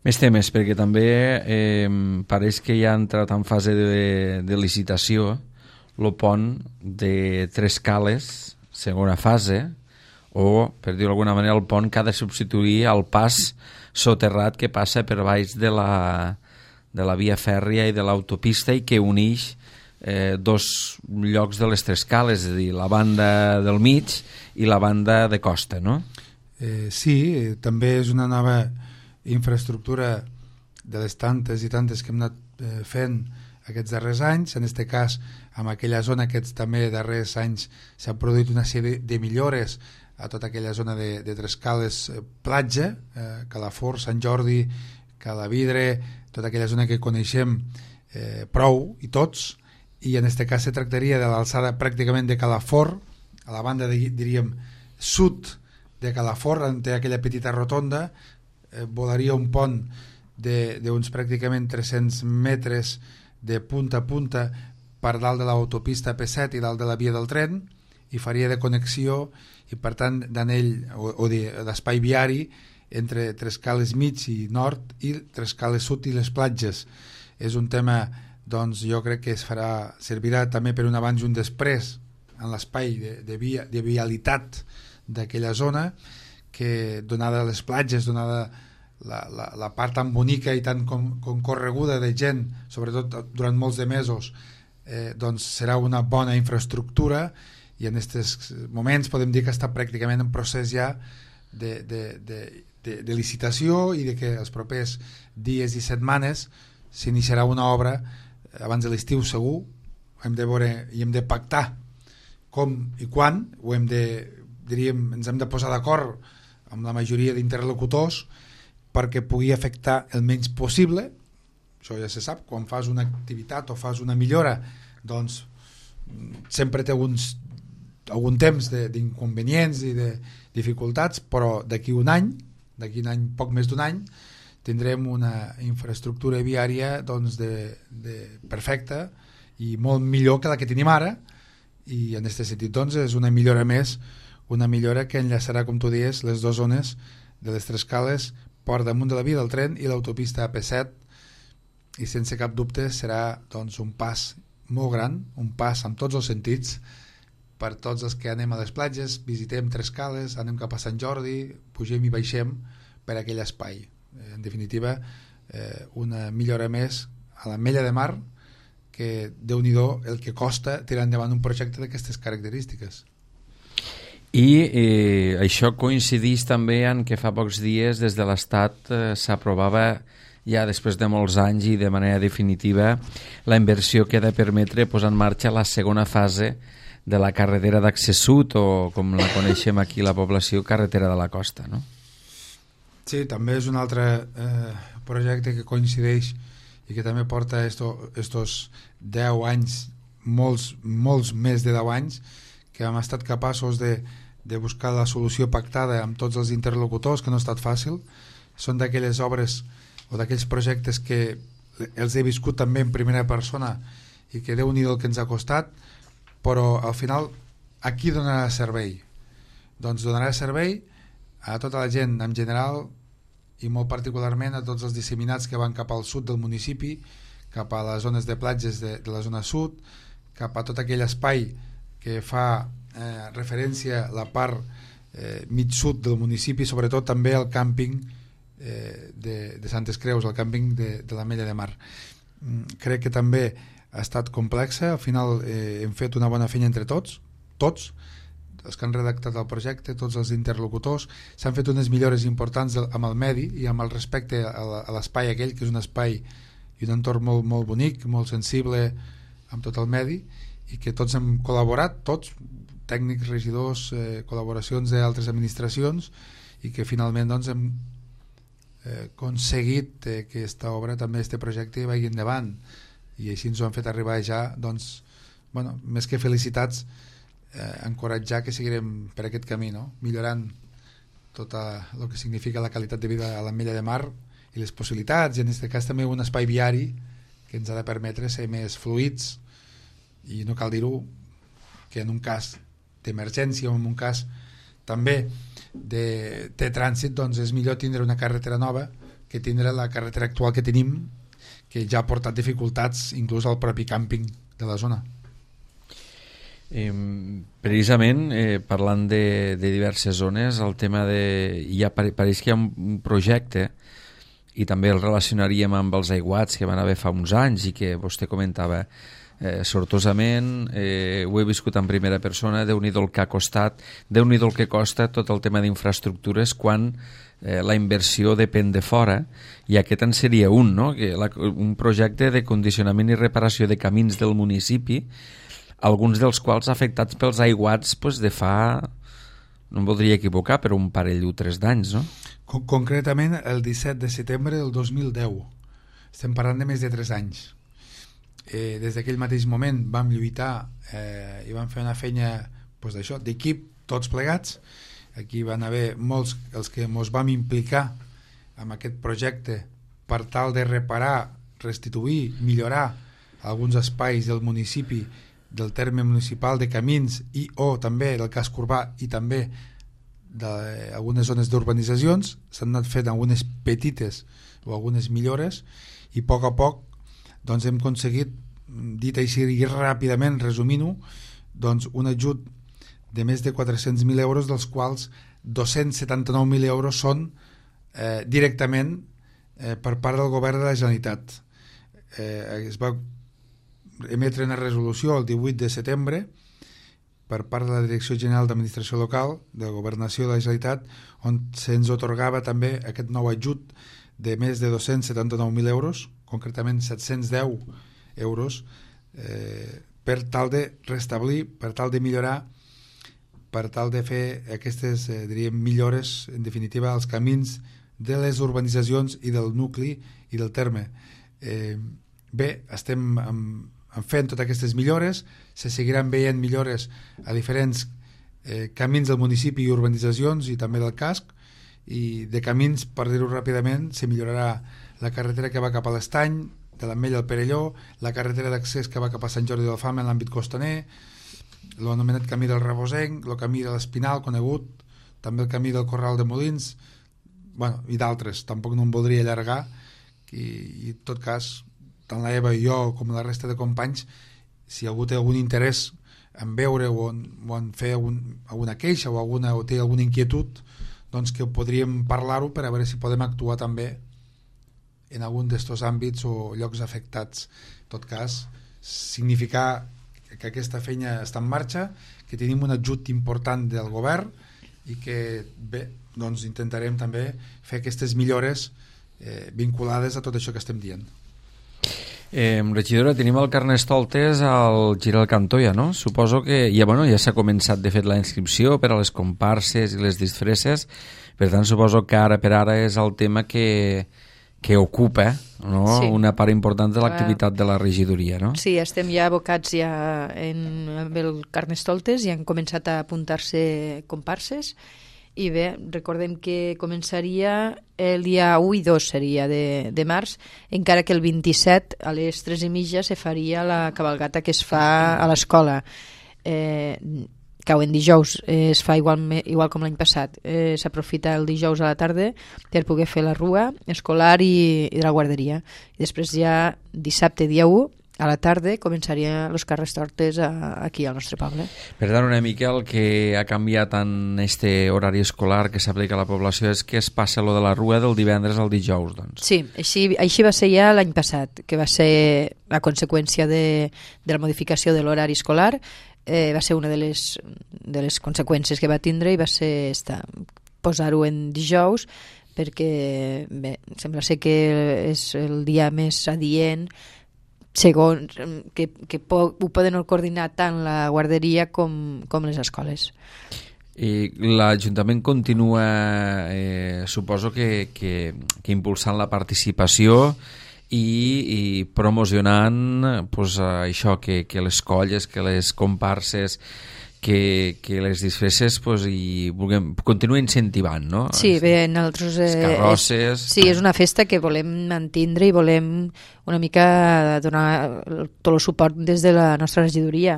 Més temes, perquè també pareix que ja ha entrat en fase de licitació el pont de Tres Cales, segona fase, o, per dir-ho d'alguna manera, el pont que ha de substituir el pas soterrat que passa per baix de la via fèrria i de l'autopista i que uneix dos llocs de les Tres Cales, és a dir, la banda del mig i la banda de costa, no? Sí, també és una nova infraestructura de les tantes i tantes que hem anat fent aquests darrers anys. En aquest cas, en aquella zona, aquests també darrers anys s'ha produït una sèrie de millores a tota aquella zona de Tres Cales platja, Calafort, Sant Jordi, Calavidre, tota aquella zona que coneixem prou i tots, i en aquest cas se tractaria de l'alçada pràcticament de Calafort, a la banda, diríem, sud de Calafort, on té aquella petita rotonda, volaria un pont d'uns pràcticament 300 metres de punta a punta per dalt de l'autopista P7 i dalt de la via del tren, i faria de connexió i per tant d'anell o d'espai viari entre Tres Cales mig i nord i Tres Cales sud i les platges. És un tema, doncs, jo crec que servirà també per un abans i un després en l'espai de vialitat d'aquella zona, que donada les platges, donada la part tan bonica i tan concorreguda de gent, sobretot durant molts de mesos, doncs serà una bona infraestructura, i en aquests moments podem dir que està pràcticament en procés ja de licitació, i de que els propers dies i setmanes s'iniciarà una obra abans de l'estiu segur. Hem de veure i hem de pactar com i quan, ens hem de posar d'acord amb la majoria d'interlocutors perquè pugui afectar el menys possible. Això ja se sap, quan fas una activitat o fas una millora, doncs sempre té algun temps d'inconvenients i de dificultats, però d'aquí un any, poc més d'un any, tindrem una infraestructura viària doncs, perfecta i molt millor que la que tenim ara, i en aquest sentit doncs, és una millora més, una millora que enllaçarà, com tu dius, les dues zones de les Tres Cales per damunt de la via del tren i l'autopista AP7, i sense cap dubte serà doncs, un pas molt gran, un pas en tots els sentits per tots els que anem a les platges, visitem Tres Cales, anem cap a Sant Jordi, pugem i baixem per aquell espai. En definitiva, una millora més a l'Ametlla de Mar, que Déu-n'hi-do el que costa tirar endavant un projecte d'aquestes característiques. I això coincideix també en que fa pocs dies des de l'Estat s'aprovava ja després de molts anys i de manera definitiva la inversió que ha de permetre posar en marxa la segona fase de la carretera d'accés sud, o com la coneixem aquí la població, carretera de la costa, no? Sí, també és un altre projecte que coincideix i que també porta estos 10 anys, molts més de 10 anys, que hem estat capaços de buscar la solució pactada amb tots els interlocutors, que no ha estat fàcil. Són d'aquelles obres o d'aquells projectes que els he viscut també en primera persona i que Déu-n'hi-do el que ens ha costat, però al final a qui donarà servei? Doncs donarà servei a tota la gent en general i molt particularment a tots els disseminats que van cap al sud del municipi, cap a les zones de platges de la zona sud, cap a tot aquell espai que fa referència a la part mig sud del municipi, sobretot també el càmping de Santes Creus, el càmping de l'Ametlla de Mar. Crec que també ha estat complexa, al final hem fet una bona feina entre tots els que han redactat el projecte, tots els interlocutors, s'han fet unes millores importants amb el medi i amb el respecte a l'espai aquell, que és un espai i un entorn molt, molt bonic, molt sensible amb tot el medi, i que tots hem col·laborat, tots, tècnics, regidors, col·laboracions d'altres administracions, i que finalment doncs, hem aconseguit que aquesta obra, també este projecte, vagi endavant, i així ens ho han fet arribar ja, doncs, bueno, més que felicitats, encoratjar que seguirem per aquest camí, no? Millorant tot el que significa la qualitat de vida a l'Ametlla de Mar i les possibilitats, i en aquest cas també un espai viari que ens ha de permetre ser més fluids, i no cal dir-ho que en un cas d'emergència o en un cas també de trànsit, doncs és millor tindre una carretera nova que tindre la carretera actual que tenim, que ja ha portat dificultats inclús al propi càmping de la zona. Precisament parlant de diverses zones, el tema de pareix que hi ha un projecte, i també el relacionaríem amb els aiguats que van haver fa uns anys i que vostè comentava sortosament, ho he viscut en primera persona, Déu-n'hi-do el que ha costat, Déu-n'hi-do el que costa tot el tema d'infraestructures quan la inversió depèn de fora, i aquest en seria un, no? Un projecte de condicionament i reparació de camins del municipi, alguns dels quals afectats pels aiguats de fa, no em voldria equivocar, però un parell o 3 d'anys, no? Concretament el 17 de setembre del 2010. Estem parlant de més de 3 anys. Des d'aquell mateix moment vam lluitar i vam fer una feina d'això, d'equip, tots plegats. Aquí van haver molts els que ens vam implicar en aquest projecte per tal de reparar, restituir, millorar alguns espais del municipi, del terme municipal, de camins i o també del casc urbà i també d'algunes zones d'urbanitzacions. S'han anat fent algunes petites o algunes millores, i a poc doncs hem aconseguit, dit així i ràpidament, resumint-ho, doncs un ajut de més de 400.000 euros, dels quals 279.000 euros són directament per part del govern de la Generalitat. Es va emetre una resolució el 18 de setembre per part de la Direcció General d'Administració Local de la Governació de la Generalitat, on se'ns atorgava també aquest nou ajut de més de 279.000 euros, concretament 710 euros, per tal de restablir, per tal de millorar, per tal de fer aquestes millores, en definitiva, als camins de les urbanitzacions i del nucli i del terme. Bé, estem fent totes aquestes millores, se seguiran veient millores a diferents camins del municipi i urbanitzacions i també del casc, i de camins, per dir-ho ràpidament, se millorarà la carretera que va cap a l'Estany, de l'Ametlla al Perelló, la carretera d'accés que va cap a Sant Jordi d'Alfama en l'àmbit costaner, l'anomenat camí del Rebosenc, el camí de l'Espinal conegut, també el camí del Corral de Molins, bueno, i d'altres, tampoc no em voldria allargar, i en tot cas, tant la Eva i jo com la resta de companys, si algú té algun interès en veure o en fer alguna queixa o té alguna inquietud, doncs que podríem parlar-ho per a veure si podem actuar també en algun d'estos àmbits o llocs afectats. En tot cas, significar que aquesta feina està en marxa, que tenim un ajut important del govern i que bé, doncs intentarem també fer aquestes millores vinculades a tot això que estem dient. Regidora, tenim el Carnestoltes al Gir al Cantó, ja, no? Suposo que ja s'ha començat de fet la inscripció per a les comparses i les disfresses, per tant suposo que ara per ara és el tema que ocupa, no? Sí. Una part important de l'activitat de la regidoria, no? Sí, estem ja abocats amb el Carnestoltes i han començat a apuntar-se comparses. I bé, recordem que començaria el dia 1 i 2 seria de març, encara que el 27 a les 3:30 se faria la cabalgata que es fa a l'escola. cau en dijous, es fa igual com l'any passat. S'aprofita el dijous a la tarda per poder fer la rua escolar i de la guarderia. I després ja dissabte, dia 1, a la tarda començarien els carrastortes aquí al nostre poble. Per tant, una mica el que ha canviat en este horari escolar que s'aplica a la població és que es passa lo de la rua del divendres al dijous, doncs. Sí, així va ser ja l'any passat, que va ser a conseqüència de la modificació de l'horari escolar. Va ser una de les conseqüències que va tindre i va ser posar-ho en dijous, perquè bé, sembla ser que és el dia més adient, segons que ho poden coordinar tant la guarderia com les escoles. I l'Ajuntament continua, suposo que impulsant la participació i promocionant pues, això, que les colles, que les comparses, que les disfresses pues, i continuen incentivant, no? Sí, bé, nosaltres... carrosses... Sí, és una festa que volem mantindre i volem una mica donar tot el suport des de la nostra regidoria.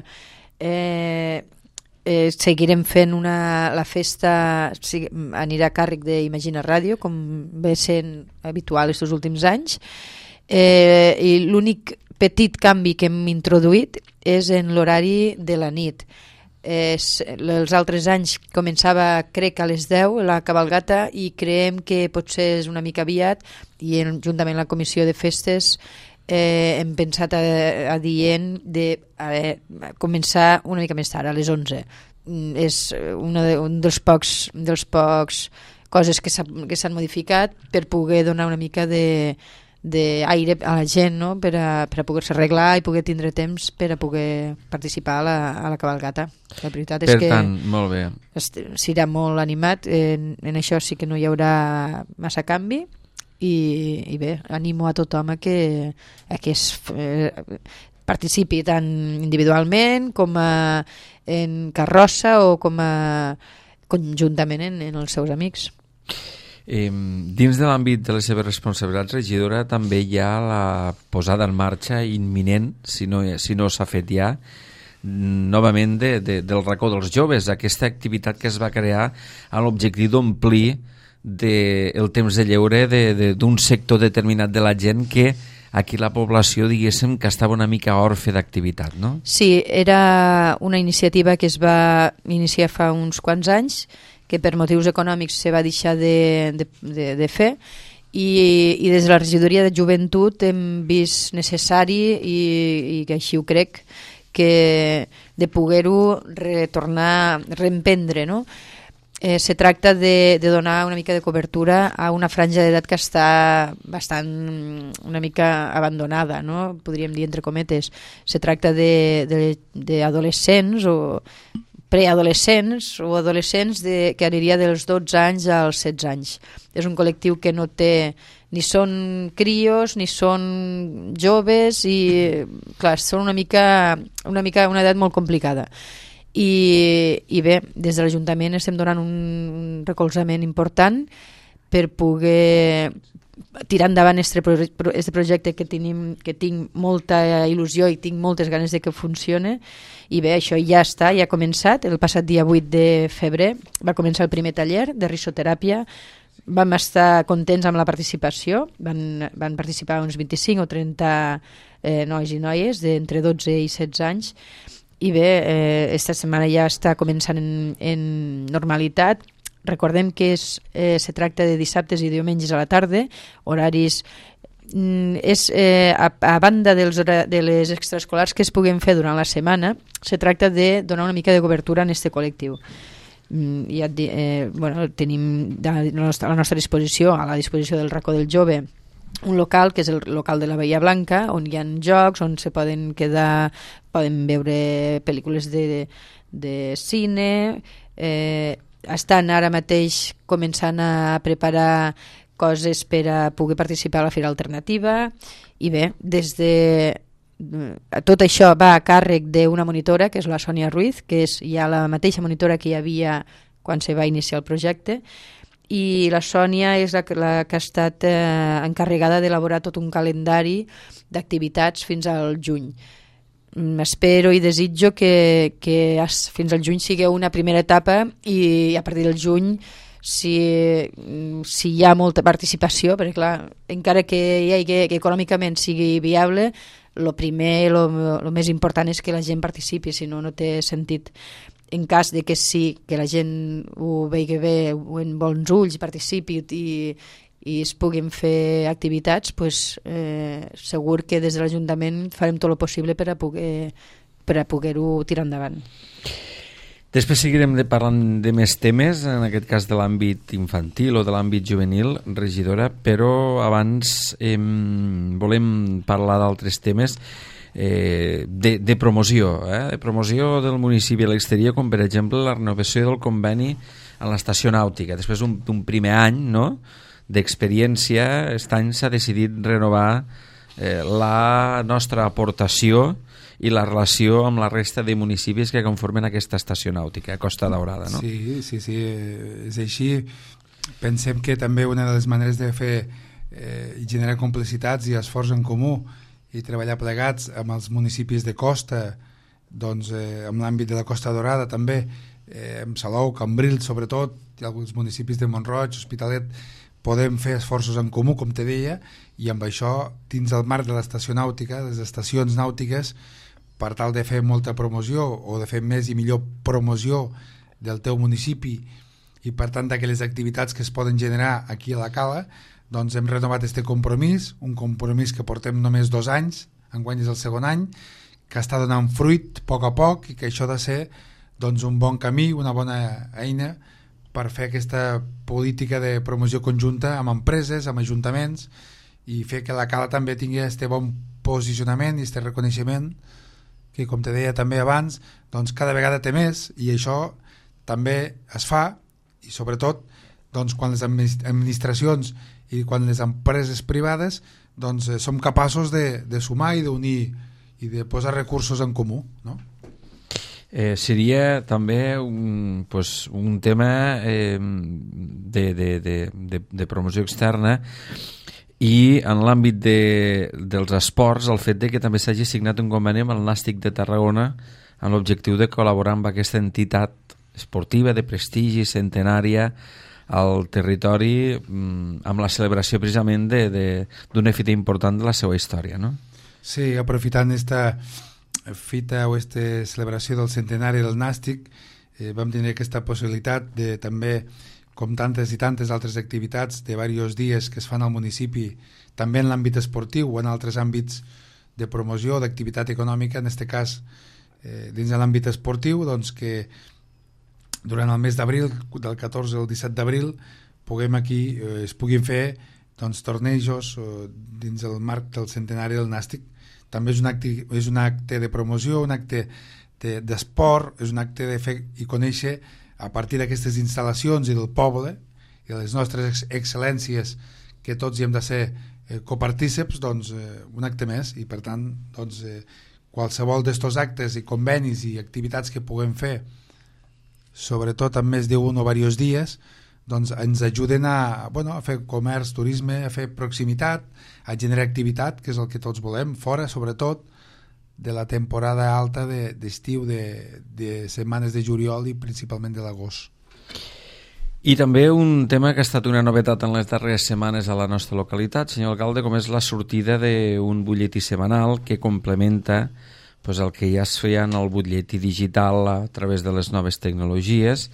Seguirem fent la festa, anirà a càrrec d'Imagina Ràdio, com ve sent habitual aquests últims anys, i l'únic petit canvi que hem introduït és en l'horari de la nit. Els altres anys començava, crec, a les 10 la cabalgata, i creiem que potser és una mica aviat, i juntament amb la comissió de festes hem pensat adient de començar una mica més tard, a les 11. És un dels pocs coses que s'han modificat per poder donar una mica d'aire a la gent, no? per a poder-se arreglar i poder tindre temps per a poder participar a la cabalgata. La veritat és que molt bé. Serà molt animat, en això sí que no hi haurà massa canvi, i bé, animo a tothom a que participi tant individualment com en carrossa o com conjuntament en els seus amics. Dins de l'àmbit de les seves responsabilitats, regidora, també hi ha la posada en marxa imminent, si no s'ha fet ja, novament del racó dels joves, aquesta activitat que es va crear amb l'objectiu d'omplir el temps de lleure d'un sector determinat de la gent que aquí la població, diguéssim, que estava una mica orfe d'activitat, no? Sí, era una iniciativa que es va iniciar fa uns quants anys, que per motius econòmics se va deixar de fer, i des de la regidoria de joventut hem vist necessari, i que així ho crec, que de poder-ho reemprendre, no? Se tracta de donar una mica de cobertura a una franja d'edat que està bastant una mica abandonada, no? Podríem dir entre cometes. Se tracta d'adolescents o preadolescents o adolescents que aniria dels 12 anys als 16 anys. És un col·lectiu que no té, ni són crios ni són joves, i clar, són una edat molt complicada. I bé, des de l'Ajuntament estem donant un recolzament important per poder tirar endavant este projecte que tinc molta il·lusió i tinc moltes ganes de que funcione. I bé, això ja està, ja ha començat. El passat dia 8 de febrer va començar el primer taller de risoteràpia. Vam estar contents amb la participació, van participar uns 25 o 30 nois i noies d'entre 12 i 16 anys, i bé, esta setmana ja està començant en normalitat. Recordem que se tracta de dissabtes i diumenges a la tarda, horaris a banda de les extraescolars que es puguen fer durant la setmana. Se tracta de donar una mica de cobertura en este col·lectiu. Tenim a la nostra disposició, a la disposició del racó del jove, un local que és el local de la Bahia Blanca, on hi ha jocs, on se poden quedar, poden veure pel·lícules de cine. Estan ara mateix començant a preparar coses per a poder participar a la Fira Alternativa, i bé, tot això va a càrrec d'una monitora, que és la Sònia Ruiz, que és ja la mateixa monitora que hi havia quan se va iniciar el projecte, i la Sònia és la que ha estat encarregada d'elaborar tot un calendari d'activitats fins al juny. espero i desitjo que fins al juny sigui una primera etapa i a partir del juny si hi ha molta participació, perquè clar, encara que econòmicament sigui viable, el primer, el més important és que la gent participi, si no, no té sentit. En cas de que sí, que la gent ho vegi bé, en bons ulls, participi i es puguin fer activitats, pues, segur que des de l'Ajuntament farem tot el possible per a poder-ho tirar endavant. Després seguirem parlant de més temes, en aquest cas de l'àmbit infantil o de l'àmbit juvenil, regidora, però abans volem parlar d'altres temes de promoció, de promoció del municipi a l'exterior, com per exemple la renovació del conveni a l'estació nàutica. Després d'un primer any, no?, d'experiència, aquest any s'ha decidit renovar la nostra aportació i la relació amb la resta de municipis que conformen aquesta estació nàutica, Costa Daurada, no? Sí, és així. Pensem que també una de les maneres de fer generar complicitats i esforç en comú i treballar plegats amb els municipis de costa, doncs amb l'àmbit de la Costa Daurada també, amb Salou, Cambrils sobretot, i alguns municipis de Mont-roig, Hospitalet, podem fer esforços en comú, com te deia, i amb això, dins el marc de l'estació nàutica, les estacions nàutiques, per tal de fer molta promoció o de fer més i millor promoció del teu municipi i per tant d'aquelles activitats que es poden generar aquí a la Cala, doncs hem renovat este compromís, un compromís que portem només 2 anys, enguany és el segon any, que està donant fruit a poc i que això ha de ser doncs, un bon camí, una bona eina per fer aquesta política de promoció conjunta amb empreses, amb ajuntaments i fer que la Cala també tingui aquest bon posicionament i aquest reconeixement que, com te deia també abans, doncs cada vegada té més i això també es fa i sobretot doncs, quan les administracions i quan les empreses privades doncs, som capaços de sumar i d'unir i de posar recursos en comú, no? Seria també un tema de promoció externa i en l'àmbit dels esports el fet de que també s'hagi signat un conveni amb el Nàstic de Tarragona amb l'objectiu de col·laborar amb aquesta entitat esportiva de prestigi centenària al territori amb la celebració precisament d'una fita important de la seva història, no? Sí, aprofitant esta fita o esta celebració del centenari del Nàstic vam tenir aquesta possibilitat de també, com tantes i tantes altres activitats de diversos dies que es fan al municipi, també en l'àmbit esportiu o en altres àmbits de promoció, d'activitat econòmica, en aquest cas dins de l'àmbit esportiu, doncs que durant el mes d'abril, del 14 al 17 d'abril, es puguin fer doncs, tornejos dins el marc del centenari del Nàstic. També és un acte de promoció, un acte d'esport, és un acte de fer i conèixer a partir d'aquestes instal·lacions i del poble i de les nostres excel·lències que tots hi hem de ser copartíceps, doncs un acte més i per tant doncs, qualsevol d'estos actes i convenis i activitats que puguem fer sobretot en més d'un o diversos dies doncs ens ajuden a fer comerç, turisme, a fer proximitat, a generar activitat, que és el que tots volem, fora sobretot de la temporada alta d'estiu, de setmanes de juliol i principalment de l'agost. I també un tema que ha estat una novetat en les darreres setmanes a la nostra localitat, senyor alcalde, com és la sortida d'un butlletí setmanal que complementa el que ja es feia en el butlletí digital a través de les noves tecnologies,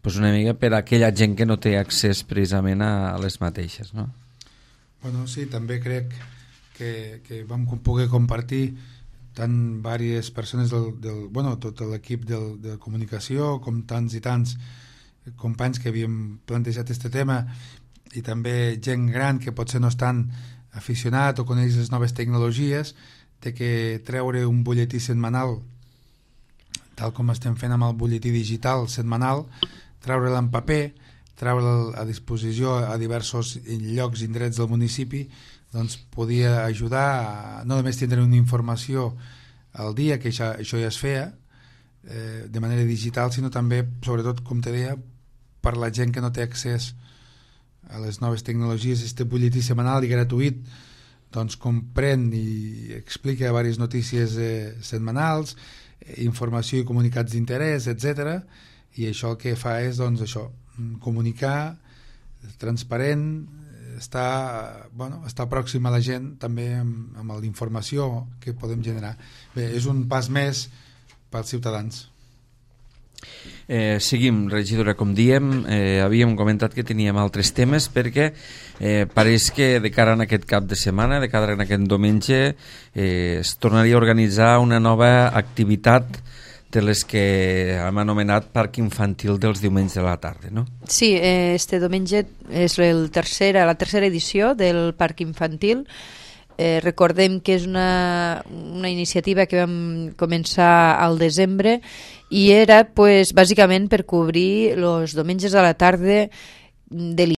una mica per a aquella gent que no té accés precisament a les mateixes, no? Bueno, sí, també crec que vam poder compartir tant diverses persones tot l'equip de comunicació com tants i tants companys que havíem plantejat aquest tema i també gent gran que potser no estan aficionat o coneix les noves tecnologies, de que treure un butlletí setmanal tal com estem fent amb el butlletí digital setmanal, treure'l en paper, treure'l a disposició a diversos llocs i indrets del municipi, doncs podia ajudar a no només tindre una informació al dia, que això ja es feia de manera digital, sinó també, sobretot, com te deia, per la gent que no té accés a les noves tecnologies, este butlletí setmanal i gratuït doncs comprèn i explica diverses notícies setmanals, informació i comunicats d'interès, etc. I això el que fa és doncs, això, comunicar, transparent, estar pròxim a la gent també amb la informació que podem generar. Bé, és un pas més pels ciutadans. Seguim, regidora, com diem, havíem comentat que teníem altres temes perquè pareix que de cara a aquest cap de setmana, de cara a aquest diumenge, es tornaria a organitzar una nova activitat de les que hem anomenat Parc Infantil dels diumenges de la tarda, no? Sí, este diumenge és la tercera edició del Parc Infantil. Recordem que és una iniciativa que vam començar al desembre i era bàsicament per cobrir els diumenges a la tarda de